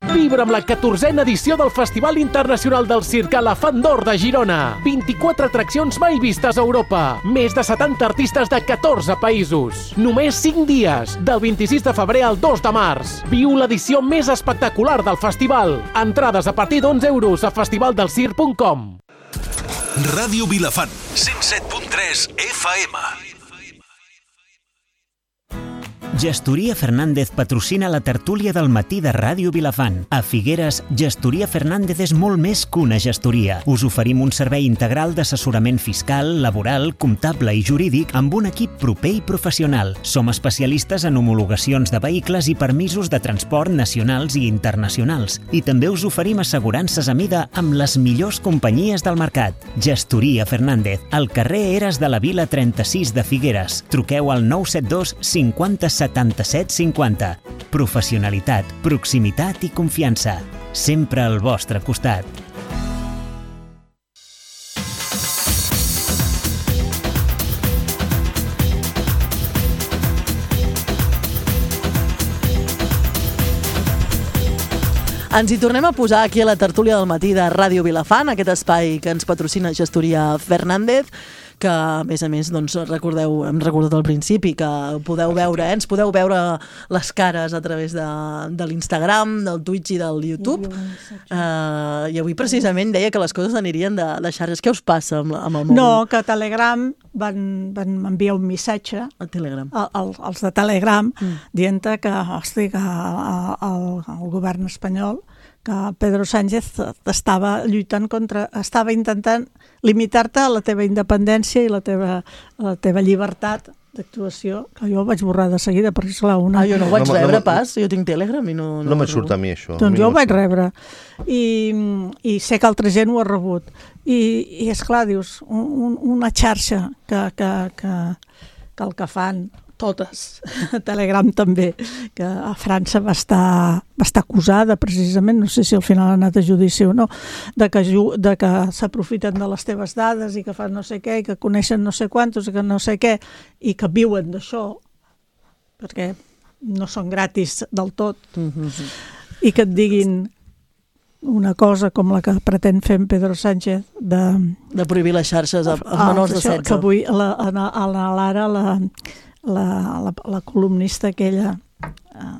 Vibra amb la catorzena edició del Festival Internacional del Circ Elefant d'Or de Girona. vint-i-quatre atraccions mai vistes a Europa. Més de setanta artistes de catorze països. Només cinc dies, del vint-i-sis de febrer al dos de març. Viu l'edició més espectacular del festival. Entrades a partir d'onze euros a festivaldelcirc punt com. Ràdio Vilafant, cent set punt tres F M. Gestoria Fernández patrocina la tertúlia del matí de Ràdio Vilafant. A Figueres, Gestoria Fernández és molt més que una gestoria. Us oferim un servei integral d'assessorament fiscal, laboral, comptable i jurídic amb un equip proper i professional. Som especialistes en homologacions de vehicles i permisos de transport nacionals i internacionals. I també us oferim assegurances a mida amb les millors companyies del mercat. Gestoria Fernández, al carrer Eres de la Vila trenta-sis de Figueres. Truqueu al nou set dos cinquanta setanta-set cinquanta. Professionalitat, proximitat i confiança. Sempre al vostre costat. Ens hi tornem a posar aquí a la tertúlia del matí de Ràdio Vilafant, aquest espai que ens patrocina Gestoria Fernández, que a més a més doncs, recordeu, hem recordat al principi que podeu veure, eh? ens podeu veure les cares a través de, de l'Instagram, del Twitch i del YouTube. Uh, I avui precisament deia que les coses anirien de, de xarxes. Què us passa amb, amb el mòbil? No, que a Telegram van, van enviar un missatge a Telegram. A, a, als de Telegram mm. dient que, hosti, que el, el govern espanyol, que Pedro Sánchez estava lluitant contra, estava intentant limitar-te a la teva independència i la teva, la teva llibertat d'actuació, que jo vaig borrar de seguida, perquè esclar, una... Ah, jo no ho vaig No, no, rebre no, pas, jo tinc Telegram i no... No, no me surt a mi això. Doncs mi jo no ho vaig surt. rebre i, i sé que altra gent ho ha rebut i, i esclar, dius un, una xarxa que, que, que, que el que fan totes, Telegram també, que a França va estar, va estar acusada precisament, no sé si al final ha anat a judici o no, de que, de que s'aprofiten de les teves dades i que fan no sé què, i que coneixen no sé quantos, i que no sé què, i que viuen d'això, perquè no són gratis del tot, mm-hmm. i que et diguin una cosa com la que pretén fer en Pedro Sánchez de... De prohibir les xarxes als menors de setze. Que avui a la, a la, a la Lara, la, la, la, la columnista aquella... Eh,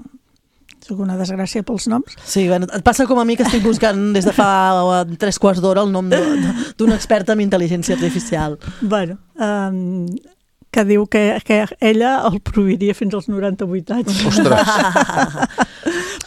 soc una desgràcia pels noms. Sí, bueno, et passa com a mi que estic buscant des de fa tres quarts d'hora el nom d'un expert en intel·ligència artificial. Bueno, um, que diu que, que ella el prohibiria fins als noranta-vuit anys. Ostres!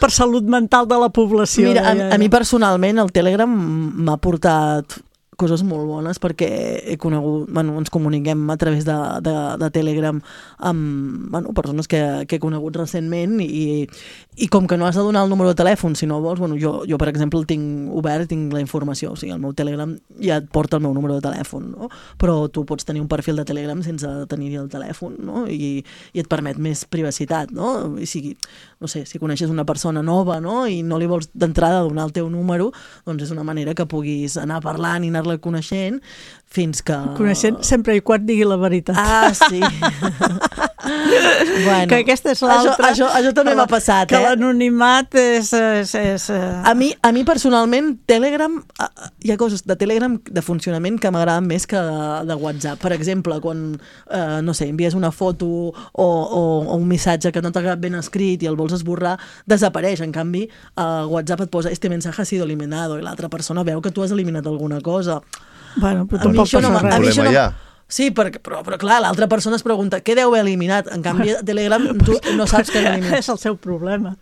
Per salut mental de la població. Mira, a, a mi personalment el Telegram m'ha portat coses molt bones perquè he conegut, bueno, ens comuniquem a través de, de, de Telegram amb bueno, persones que, que he conegut recentment i, i com que no has de donar el número de telèfon si no vols, bueno, jo, jo per exemple el tinc obert, tinc la informació, o sigui, el meu Telegram ja et porta el meu número de telèfon, no? Però tu pots tenir un perfil de Telegram sense tenir el telèfon, no? I, i et permet més privacitat, no? I si, no sé, si coneixes una persona nova, no? I no li vols d'entrada donar el teu número, doncs és una manera que puguis anar parlant i anar-la coneixent fins que... Coneixent sempre i quan digui la veritat. Ah, sí. Bueno, que aquesta és l'altra. Això, això, això també m'ha passat, que eh? Que l'anonimat és... és, és a, mi, a mi personalment, Telegram, hi ha coses de Telegram de funcionament que m'agraden més que de, de WhatsApp. Per exemple, quan, eh, no sé, envies una foto o, o, o un missatge que no t'ha quedat ben escrit i el vols esborrar, desapareix. En canvi, a WhatsApp et posa este mensaje ha sido eliminado i l'altra persona veu que tu has eliminat alguna cosa. Bueno, però a mi tampoc això no, passa a mi res. això no, sí, perquè, però, però clar, l'altra persona es pregunta què deu haver eliminat. En canvi, a Telegram tu no saps què ha eliminat. És el seu problema.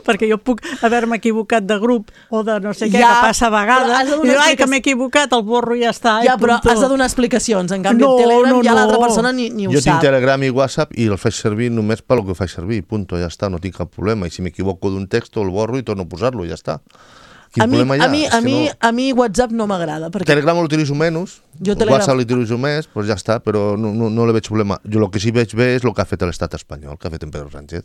Perquè jo puc haver-me equivocat de grup o de no sé què, Ja, que passa a vegades, i dic, ai, que m'he equivocat, el borro i ja està. Ja, però has de donar explicacions. En canvi, no, a Telegram no, ja no. l'altra persona ni, ni ho jo sap. tinc Telegram i WhatsApp i el faig servir només pel que faig servir, punto, ja està, no tinc cap problema. I si m'equivoco d'un text, el borro i torno a posar-lo, ja està. Quin a mi, problema hi ha? a mi, És a que mi, no... a mi WhatsApp no m'agrada. Perquè... Telegram l'utilitzo menys, Jo Telegram... WhatsApp l'utilitzo més, doncs ja està, però no, no, no le veig problema. Jo el que sí veig bé és el que ha fet l'estat espanyol, que ha fet en Pedro Sánchez,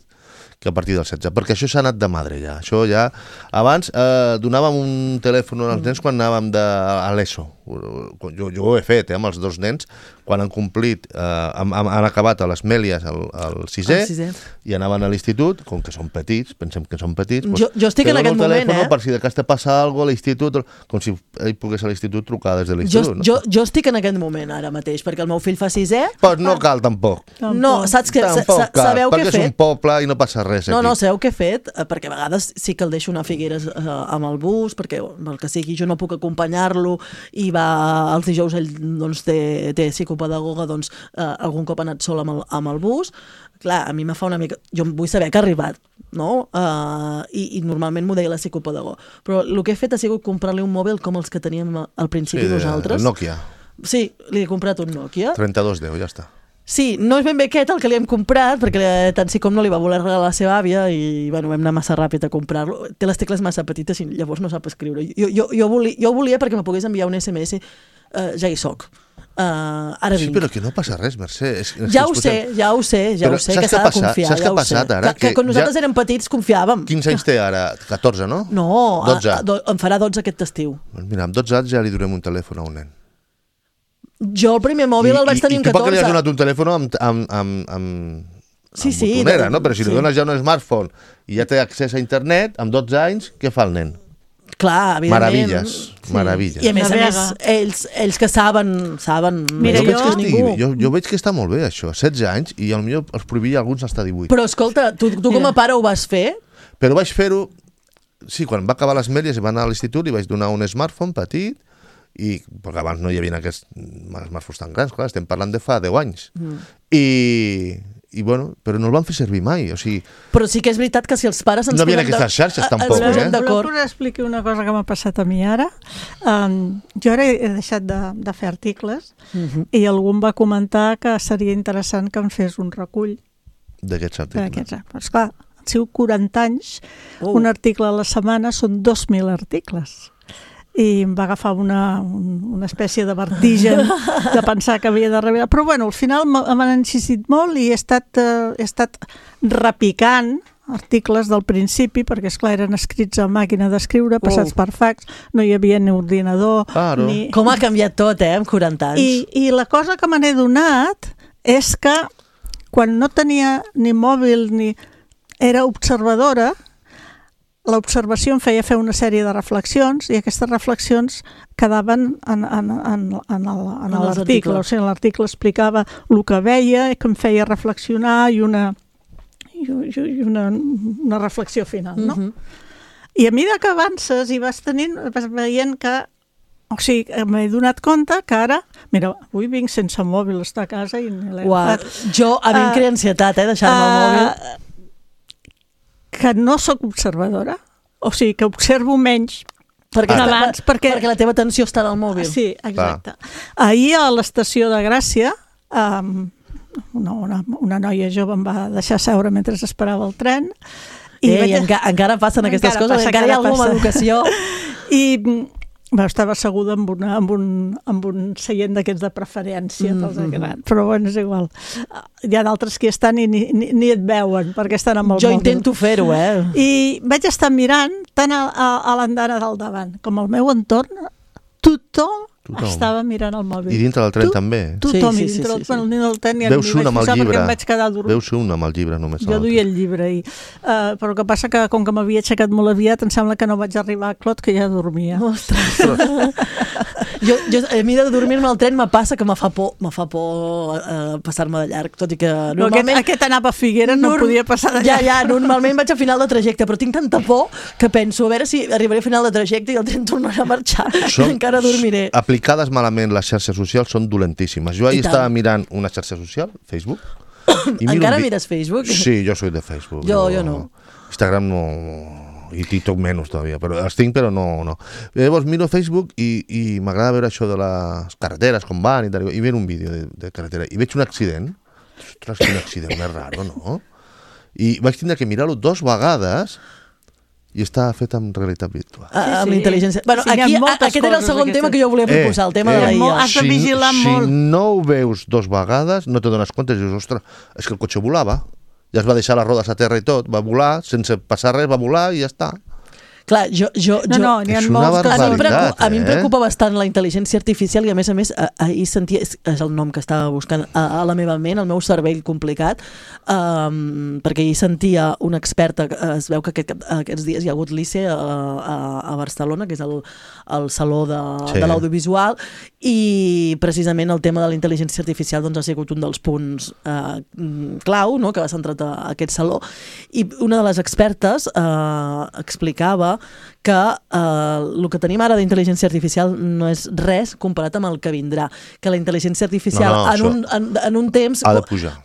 que a partir del setze, perquè això s'ha anat de madre ja. Això ja... Abans eh, donàvem un telèfon als nens quan anàvem de, a l'ESO. Jo, jo ho he fet, eh, amb els dos nens, quan han complit, eh, han, han acabat a les Mèlies al, al sisè, el sisè i anaven a l'institut, com que són petits, pensem que són petits, doncs, jo, jo estic en aquest moment, eh? Per si de cas te passa alguna cosa a l'institut, com si ell pogués a l'institut trucar des de l'institut. Jo, no? jo, jo estic en aquest moment ara mateix, perquè el meu fill fa sisè. Pues no cal tampoc. No, saps què? Tampoc cal, Sabeu què he fet? perquè és un poble i no passa res aquí. No, no, sabeu què he fet? Perquè a vegades sí que el deixo anar a Figueres eh, amb el bus, perquè el que sigui jo no puc acompanyar-lo i va els dijous ell doncs, té, té psicopedagoga, doncs eh, algun cop ha anat sol amb el, amb el bus. Clar, a mi me fa una mica... Jo vull saber que ha arribat, no? Uh, i, I normalment m'ho deia la psicopedagoga. Però el que he fet ha sigut comprar-li un mòbil com els que teníem al principi sí, nosaltres. El Nokia. Sí, li he comprat un Nokia. trenta-dos deu, ja està. Sí, no és ben bé aquest el que li hem comprat, perquè tant sí com no li va voler regalar la seva àvia i bueno, vam anar massa ràpid a comprar-lo. Té les tecles massa petites i llavors no sap escriure. Jo, jo, jo, volia, jo volia perquè me pogués enviar un S M S, uh, ja hi soc. Uh, ara sí, vinc. però que no passa res, Mercè. És, és ja, ho sé, ja ho sé, ja però ho sé, que s'ha de confiar. Saps ja què ha passat ara? Que, que, que quan nosaltres ja... érem petits confiàvem. quins anys té ara? catorze, no? No, dotze. A, a, do, em farà dotze aquest estiu. Doncs mira, amb dotze anys ja li donem un telèfon a un nen. Jo el primer mòbil I, el vaig tenir i, amb catorze. I tu per què li has donat un telèfon amb, amb, amb, amb, sí, amb sí, botonera, de... no? Però si sí. li dones ja un smartphone i ja té accés a internet, amb dotze anys, què fa el nen? Clar, evidentment. Meravilles, sí. meravilles. I a més a més, ells, ells que saben, saben... Mira, jo, jo... veig que jo, jo veig que està molt bé, això. setze anys, i potser els prohibia alguns fins a divuit. Però escolta, tu, tu com a pare ho vas fer? Però vaig fer-ho... Sí, quan va acabar les Mèlies i va anar a l'institut, li vaig donar un smartphone petit, i perquè abans no hi havia aquests smartphones tan grans, clar, estem parlant de fa deu anys. Mm. I, I, bueno, però no el van fer servir mai, o sigui... Però sí que és veritat que si els pares ens no posem... No havia aquestes xarxes, tampoc, eh? Voleu que us expliqui una cosa que m'ha passat a mi ara? Um, jo ara he deixat de, de fer articles uh-huh. i algú em va comentar que seria interessant que em fes un recull d'aquests articles. Però esclar, han sigut quaranta anys, uh. un article a la setmana són dos mil articles. I em va agafar una, una espècie de vertigen de pensar que havia de revelar. Però bueno, al final m'han insistit molt i he estat, eh, he estat repicant articles del principi, perquè esclar eren escrits a màquina d'escriure, passats oh. per fax, no hi havia ni ordinador. Claro. Ni... Com ha canviat tot, eh, en quaranta anys. I, i la cosa que me n'he donat és que quan no tenia ni mòbil ni... era observadora, l'observació em feia fer una sèrie de reflexions i aquestes reflexions quedaven en, en, en, en l'article. O sigui, l'article explicava el que veia, que em feia reflexionar i una, i una, una reflexió final. No? Uh-huh. I a mesura que avances i vas tenint, vas veient que o sigui, m'he donat compte que ara... Mira, avui vinc sense mòbil, estar a casa i l'he agafat. Jo, a mi em crea ansietat, eh, deixar-me el mòbil. Uh, que no sóc observadora, o sigui, que observo menys perquè, ah, abans, perquè... perquè la teva atenció està en el mòbil. Sí, exacte. Ah. Ahir a l'estació de Gràcia, um, una, una, una noia jove em va deixar seure mentre esperava el tren. I Ei, vaig... enca encara passen aquestes encara coses, passa, encara hi ha alguna educació. I... Bueno, estava asseguda amb, una, amb, un, amb un seient d'aquests de preferència, mm -hmm. però bueno, és igual. Hi ha d'altres que estan i ni, ni, ni et veuen, perquè estan amb el jo mòbil. Jo intento fer-ho, eh? I vaig estar mirant tant a, a, a l'andana del davant com al meu entorn, tothom, tothom estava mirant el mòbil. I dintre del tren tu, també? Tothom, sí, i dintre sí, sí, del, sí. del tren ja veus un amb el llibre. Em vaig quedar dormint. Veus un amb el llibre només. Jo duia el llibre. I, uh, però el que passa que com que m'havia aixecat molt aviat em sembla que no vaig arribar a Clot, que ja dormia. Ostres! jo, jo, a mi de dormir-me al tren me passa que me fa por, me fa por uh, passar-me de llarg, tot i que no, normalment... Aquest, aquest anava a Figueres, no podia passar de llarg. Ja, ja, normalment vaig a final de trajecte, però tinc tanta por que penso a veure si arribaré a final de trajecte i el tren tornarà a marxar, Som, i encara dormiré. Aplicades malament les xarxes socials són dolentíssimes. Jo ahir estava mirant una xarxa social, Facebook. I encara mires Facebook? Sí, jo soy de Facebook. Jo, jo no. Instagram no... i TikTok menys todavía, però els tinc però no, no. Llavors miro Facebook i, i m'agrada veure això de les carreteres, com van i tal, i veig un vídeo de, de carretera i veig un accident. Ostres, quin accident més raro, no? I vaig tindre que mirar-ho dos vegades i està fet amb realitat virtual. Sí, sí. Amb intel·ligència. Bueno, sí, aquí, aquest era el segon tema que jo volia proposar, eh, el tema eh, de la I A. Has de vigilar si, molt. Si no ho veus dos vegades, no te dones compte i dius, ostres, és que el cotxe volava. Ja es va deixar les rodes a terra i tot, va volar, sense passar res, va volar i ja està. Clar, jo... jo, no, jo no, n'hi ha és una barbaritat, a mi, preocupa, eh? a mi em preocupa bastant la intel·ligència artificial i a més a més ahir sentia, és, és el nom que estava buscant a, a la meva ment, el meu cervell complicat, um, perquè ahir sentia una experta, es veu que aquest, aquests dies hi ha hagut l'I C E a, a, a Barcelona, que és el, el saló de, sí. de l'audiovisual, i precisament el tema de la intel·ligència artificial doncs, ha sigut un dels punts uh, clau, no?, que va centrat a, a aquest saló, i una de les expertes uh, explicava que eh, el que tenim ara d'intel·ligència artificial no és res comparat amb el que vindrà, que la intel·ligència artificial no, no, en, un, en, en un temps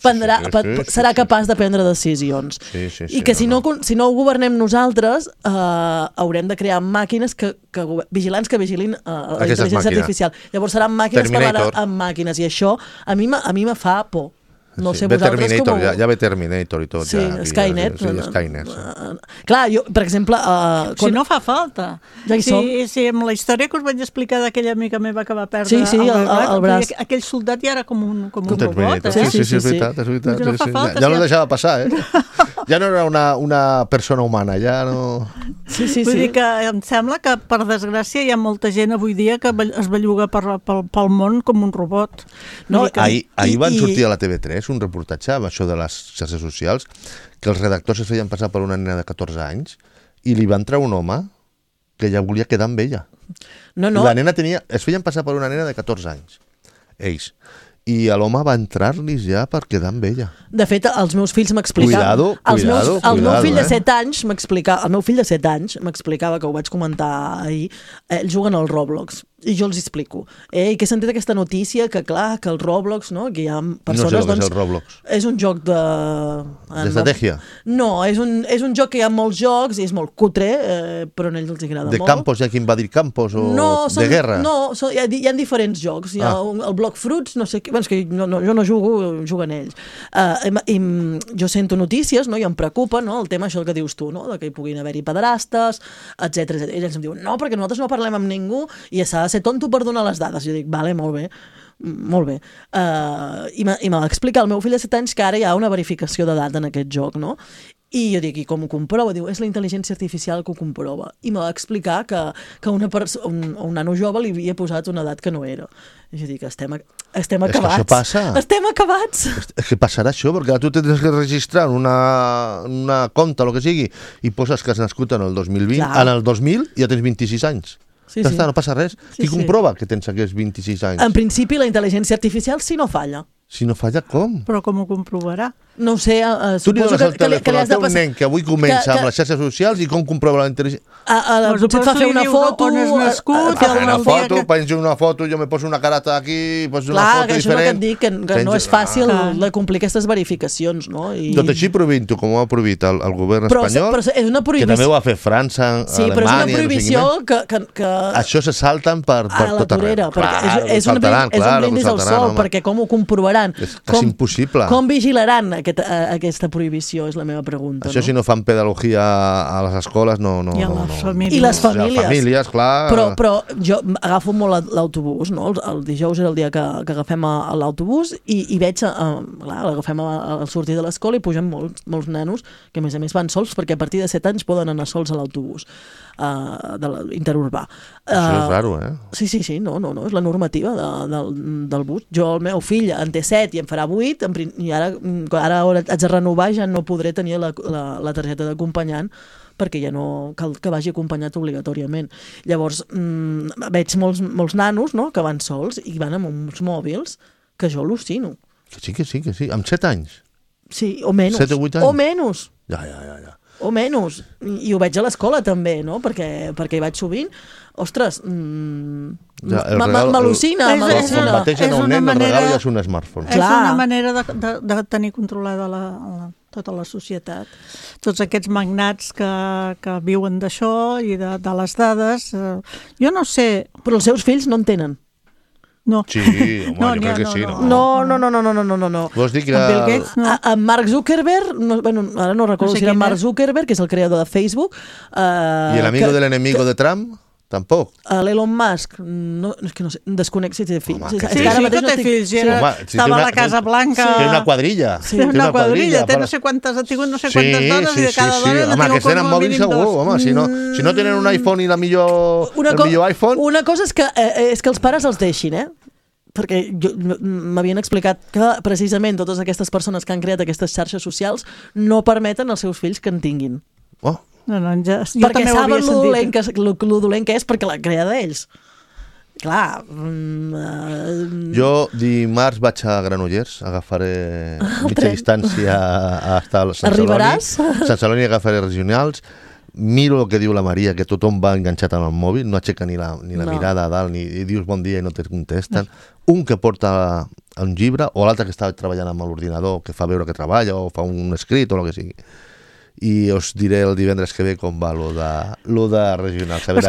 prendrà, sí, sí, sí, serà capaç de prendre decisions sí, sí, sí, i que no, si no, no. si no ho governem nosaltres eh, haurem de crear màquines que, que vigilants que vigilin eh, la intel·ligència màquina. artificial, llavors seran màquines Terminator. que van amb màquines i això a mi, a mi me fa por. No sí, sé, vosaltres com... Ja, ja ve Terminator i tot. Sí, ja, Skynet. Ja, sí, Skynet sí. Uh, clar, jo, per exemple... Uh, quan... Si no fa falta. Ja hi sí, som. sí, amb la història que us vaig explicar d'aquella amiga meva que va perdre sí, sí, el, el, el, el braç. Aquell soldat ja era com un, com un robot. Eh? Sí, sí, sí, sí, és veritat. És veritat no sí, sí. falta, ja si no deixava passar, eh? Ja no era una, una persona humana, ja no... Sí, sí, Vull sí. dir que em sembla que, per desgràcia, hi ha molta gent avui dia que es belluga per, pel, pel món com un robot. No, que... Ahir, ahir van I, sortir a la T V tres un reportatge amb això de les xarxes socials, que els redactors es feien passar per una nena de catorze anys i li va entrar un home que ja volia quedar amb ella. No, no. La nena tenia... Es feien passar per una nena de catorze anys, ells. I l'home va entrar-los ja per quedar amb ella. De fet, els meus fills m'explicaven... Cuidado, els meus, cuidado, el cuidado, meu fill eh? de set anys m'explicava, el meu fill de set anys m'explicava, que ho vaig comentar ahir, ells juguen al Roblox. I jo els explico. Eh? I que he sentit aquesta notícia que, clar, que el Roblox, no? Que hi ha persones... No sé el que doncs, és el Roblox. És un joc de... D'estratègia? No, és un, és un joc que hi ha molts jocs i és molt cutre, eh, però a ells els agrada de molt. De campos, hi ha qui invadir campos o no, són, de guerra? No, són, hi, ha, hi ha diferents jocs. Hi ha ah. un, el Block Fruits, no sé què... Bueno, és que no, no, jo no jugo, juguen ells. Uh, i, i, jo sento notícies, no? I em preocupa, no? El tema, això que dius tu, no? De que hi puguin haver-hi pederastes, etcètera. I ells em diuen, no, perquè nosaltres no parlem amb ningú i s'ha de ser tonto per donar les dades. Jo dic, vale, molt bé, molt bé. Uh, I m'ha d'explicar el meu fill de set anys que ara hi ha una verificació d'edat en aquest joc, no? I jo dic, i com ho comprova? Diu, és la intel·ligència artificial que ho comprova. I m'ha d'explicar que, que una un, un nano jove li havia posat una edat que no era. I jo dic, estem, estem acabats. És que això passa. Estem acabats. És que passarà això, perquè tu tens que registrar una, una compte, el que sigui, i poses que has nascut en el dos mil vint. Clar. En el dos mil ja tens vint-i-sis anys. Sí, ja sí. Està, no passa res. Sí, Qui sí. comprova que tens aquests vint-i-sis anys? En principi, la intel·ligència artificial si no falla. Si no falla, com? Però com ho comprovarà? No ho sé, uh, tu li dones el que, telèfon al teu passar... nen que avui comença que, que... amb les xarxes socials i com comprova la intel·ligència... A, a, a, potser et fa fer una foto... On has nascut... Fa una foto, que... penjo una foto, jo me poso una carata aquí, poso una foto que diferent... Clar, que això és el que et dic, que, que penjo... no és fàcil ah. de complir aquestes verificacions, no? I... Tot així prohibint-ho, com ho ha prohibit el, el govern però, espanyol, però és una prohibició... que també ho ha fet França, sí, Alemanya... Sí, però és una prohibició no que, que, que... Això se salten per, per tot arreu. Clar, és, és, un saltaran, és un brindis al sol, home. Perquè com ho comprovaran? És quasi impossible. Com vigilaran aquest, aquesta prohibició, és la meva pregunta. Això no? si no fan pedagogia a les escoles, no... no I a no, les no. famílies. I les famílies. Les famílies, clar... Però, però jo agafo molt l'autobús, no? El, el dijous era el dia que, que agafem l'autobús i, i veig, uh, clar, l'agafem al sortir de l'escola i pugen molts, molts nanos que a més a més van sols perquè a partir de set anys poden anar sols a l'autobús uh, de interurbà. Uh, Això és raro, eh? Sí, sí, sí, no, no, no, és la normativa de, del, del bus. Jo, el meu fill en té set i en farà vuit, en, i ara, ara haig de renovar i ja no podré tenir la, la, la targeta d'acompanyant perquè ja no cal que vagi acompanyat obligatòriament. Llavors, mmm, veig molts, molts nanos, no?, que van sols i van amb uns mòbils que jo al·lucino. Que sí, que sí, que sí. Amb set anys? Sí, o menys. set o vuit anys? O menys. Ja, ja, ja, ja. O menys. I, i ho veig a l'escola també, no?, perquè, perquè hi vaig sovint. Ostres, mmm, ja, m'al·lucina. El, el, el, el mateix en un nen, manera, el regal ja és un smartphone. És Clar. una manera de, de, de tenir controlada la, la, tota la societat. Tots aquests magnats que, que viuen d'això i de, de les dades, eh, jo no sé... Però els seus fills no en tenen. No. Sí, home, no, jo crec que no, sí. No, no, no, no, no, no, no, no. Vols dir que... Bill Gates, no. A, a Mark Zuckerberg, no, bueno, ara no recordo no sé si era Mark Zuckerberg, que és el creador de Facebook. Uh, I el amigo que, de l'enemigo que... de Trump? Tampoc. L'Elon Musk, no, és que no sé, desconec si té fills. Home, sí, sí, sí que té fills, sí, era, home, si estava una, a la Casa Blanca... Té una quadrilla. Sí, té una, una quadrilla, té no sé quantes, ha tingut no sé quantes sí, dones sí, i de cada sí, dona... Sí, home, que tenen mòbil segur, home, si no, si no tenen un iPhone i la millor, el millor iPhone... Una cosa és que, eh, és que els pares els deixin, eh? Perquè m'havien explicat que precisament totes aquestes persones que han creat aquestes xarxes socials no permeten als seus fills que en tinguin. Oh. No, no, ja, jo perquè també saben ho havia sentit. Lo, lo dolent que és perquè l'ha creat ells. Clar. Mm, uh... Jo dimarts vaig a Granollers, agafaré mitja distància a estar a Sant Arribaràs? Celoni. Sant Celoni agafaré regionals. Miro el que diu la Maria, que tothom va enganxat amb el mòbil, no aixeca ni la, ni la no. mirada a dalt, ni i dius bon dia i no te contesten. No. Un que porta un llibre, o l'altre que està treballant amb l'ordinador, que fa veure que treballa, o fa un escrit, o el que sigui. I us diré el divendres que ve com va lo de, lo de regional, saber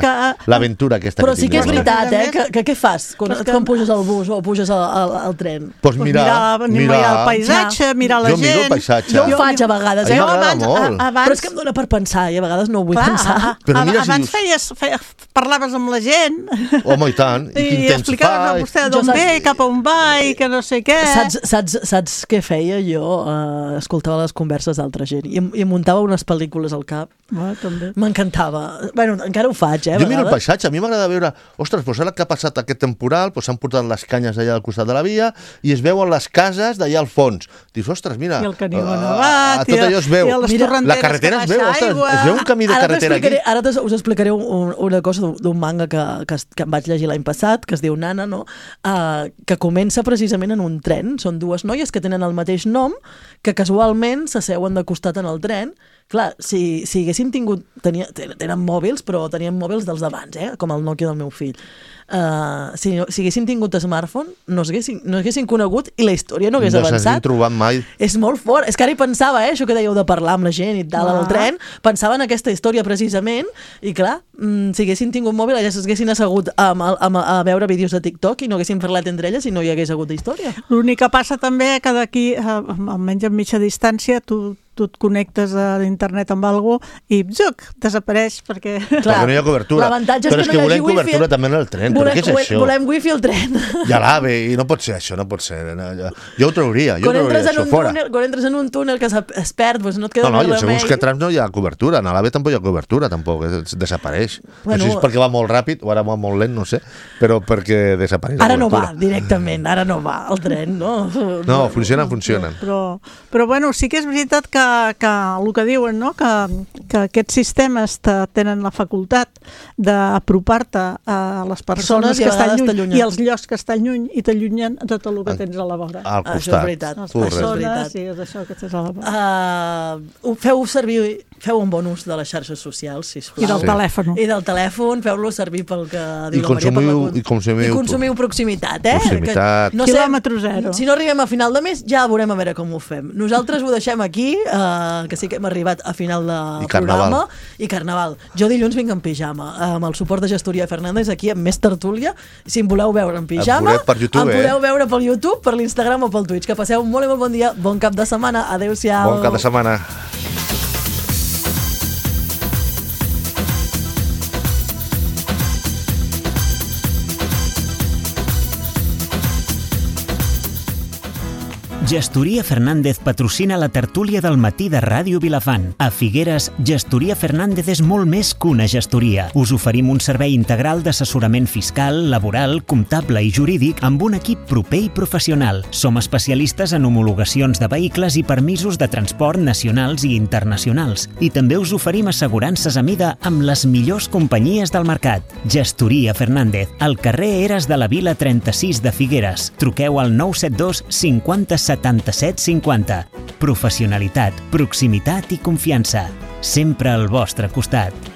l'aventura aquesta però que sí que és tinc. veritat, eh? Que, que què fas quan, quan puges al bus o puges al, al, al tren? Pues mirar, pues mirar, mirar el paisatge, mirar la jo gent. Jo miro el paisatge. Jo ho faig a vegades. A eh? mi m'agrada molt. Abans... Però és que em dóna per pensar i a vegades no ho vull Clar, pensar. a, a, però mira, abans si feies, feies, parlaves amb la gent. Home, i tant. I, I explicaves a vostè d'on ve, cap a on va i que no sé què. Saps, saps, saps què feia jo? Uh, escoltava les converses d'altra gent i, i muntava unes pel·lícules al cap. Ah, m'encantava. Bueno, encara ho faig, eh? Jo miro el paisatge, a mi m'agrada veure, ostres, doncs ara que ha passat aquest temporal, doncs s'han portat les canyes d'allà al costat de la via i es veuen les cases d'allà al fons. Dius, ostres, mira, i el Canigó Nevat, tot allò es veu. I les mira, la carretera es veu, ostres, es veu un camí de carretera aquí. Ara us explicaré un, una cosa d'un manga que, que, que em vaig llegir l'any passat, que es diu Nana, no? Uh, que comença precisament en un tren. Són dues noies que tenen el mateix nom, que casualment s'asseuen de costat en el tren clar, si, si haguéssim tingut... Tenia, tenen mòbils, però teníem mòbils dels d'abans, eh? Com el Nokia del meu fill. Uh, si, si haguéssim tingut smartphone, no haguéssim, no haguéssim conegut i la història no hagués no avançat. No s'hagin trobat mai. És molt fort. És que ara hi pensava, eh? Això que dèieu de parlar amb la gent i tal, al tren, pensava en aquesta història precisament i clar, mm, si haguessin tingut mòbil, ja s'haguessin assegut a, a, a veure vídeos de TikTok i no haguessin parlat entre elles i no hi hagués hagut història. L'únic que passa també que d'aquí, almenys a mitja distància, tu tu et connectes a internet amb algú i zuc, desapareix perquè... Clar, perquè no hi ha cobertura. L'avantatge és però que és que no hi volem hagi wifi. Cobertura també en el tren, volem, però què és això? Volem wifi al tren. I a l'AVE, i no pot ser això, no pot ser. No, jo, jo ho trauria, jo quan ho trauria això fora. Túnel, quan entres en un túnel que es perd, doncs no et queda no, no, més remei. No, no, segons que trams no hi ha cobertura, en l'AVE tampoc hi ha cobertura, tampoc, desapareix. Bueno, no sé si és perquè va molt ràpid o ara va molt lent, no sé, però perquè desapareix ara la cobertura. Ara no va, directament, ara no va el tren, no? No, funcionen, funcionen. Però, però bueno, sí que és veritat que, que el que diuen, no?, que, que aquests sistemes te, tenen la facultat d'apropar-te a les persones, persones que estan lluny i als llocs que estan lluny i t'allunyen a tot el que tens a la vora. Al costat. Això és veritat. Les persones, sí, és això que tens a la vora. Uh, feu servir, feu un bon ús de les xarxes socials, sisplau. I del sí. telèfon. I del telèfon, feu-lo servir pel que diu I la Maria. Consumiu, per la... I consumiu, I consumiu proximitat, eh? Proximitat. Que, no sé, quilòmetre zero. Si no arribem a final de mes, ja veurem a veure com ho fem. Nosaltres ho deixem aquí, uh, que sí que hem arribat a final de I carnaval. programa. I carnaval. Jo dilluns vinc en pijama, amb el suport de Gestoria Fernández, aquí amb més tertúlia. Si em voleu veure en pijama, per YouTube, em podeu eh? veure pel YouTube, per l'Instagram o pel Twitch. Que passeu un molt i molt bon dia, bon cap de setmana. Adéu-siau. Bon cap de setmana. Gestoria Fernández patrocina la tertúlia del matí de Ràdio Vilafant. A Figueres, Gestoria Fernández és molt més que una gestoria. Us oferim un servei integral d'assessorament fiscal, laboral, comptable i jurídic amb un equip proper i professional. Som especialistes en homologacions de vehicles i permisos de transport nacionals i internacionals. I també us oferim assegurances a mida amb les millors companyies del mercat. Gestoria Fernández, al carrer Eres de la Vila trenta-sis de Figueres. Truqueu al nou set dos cinquanta setanta-set cinquanta. Professionalitat, proximitat i confiança. Sempre al vostre costat.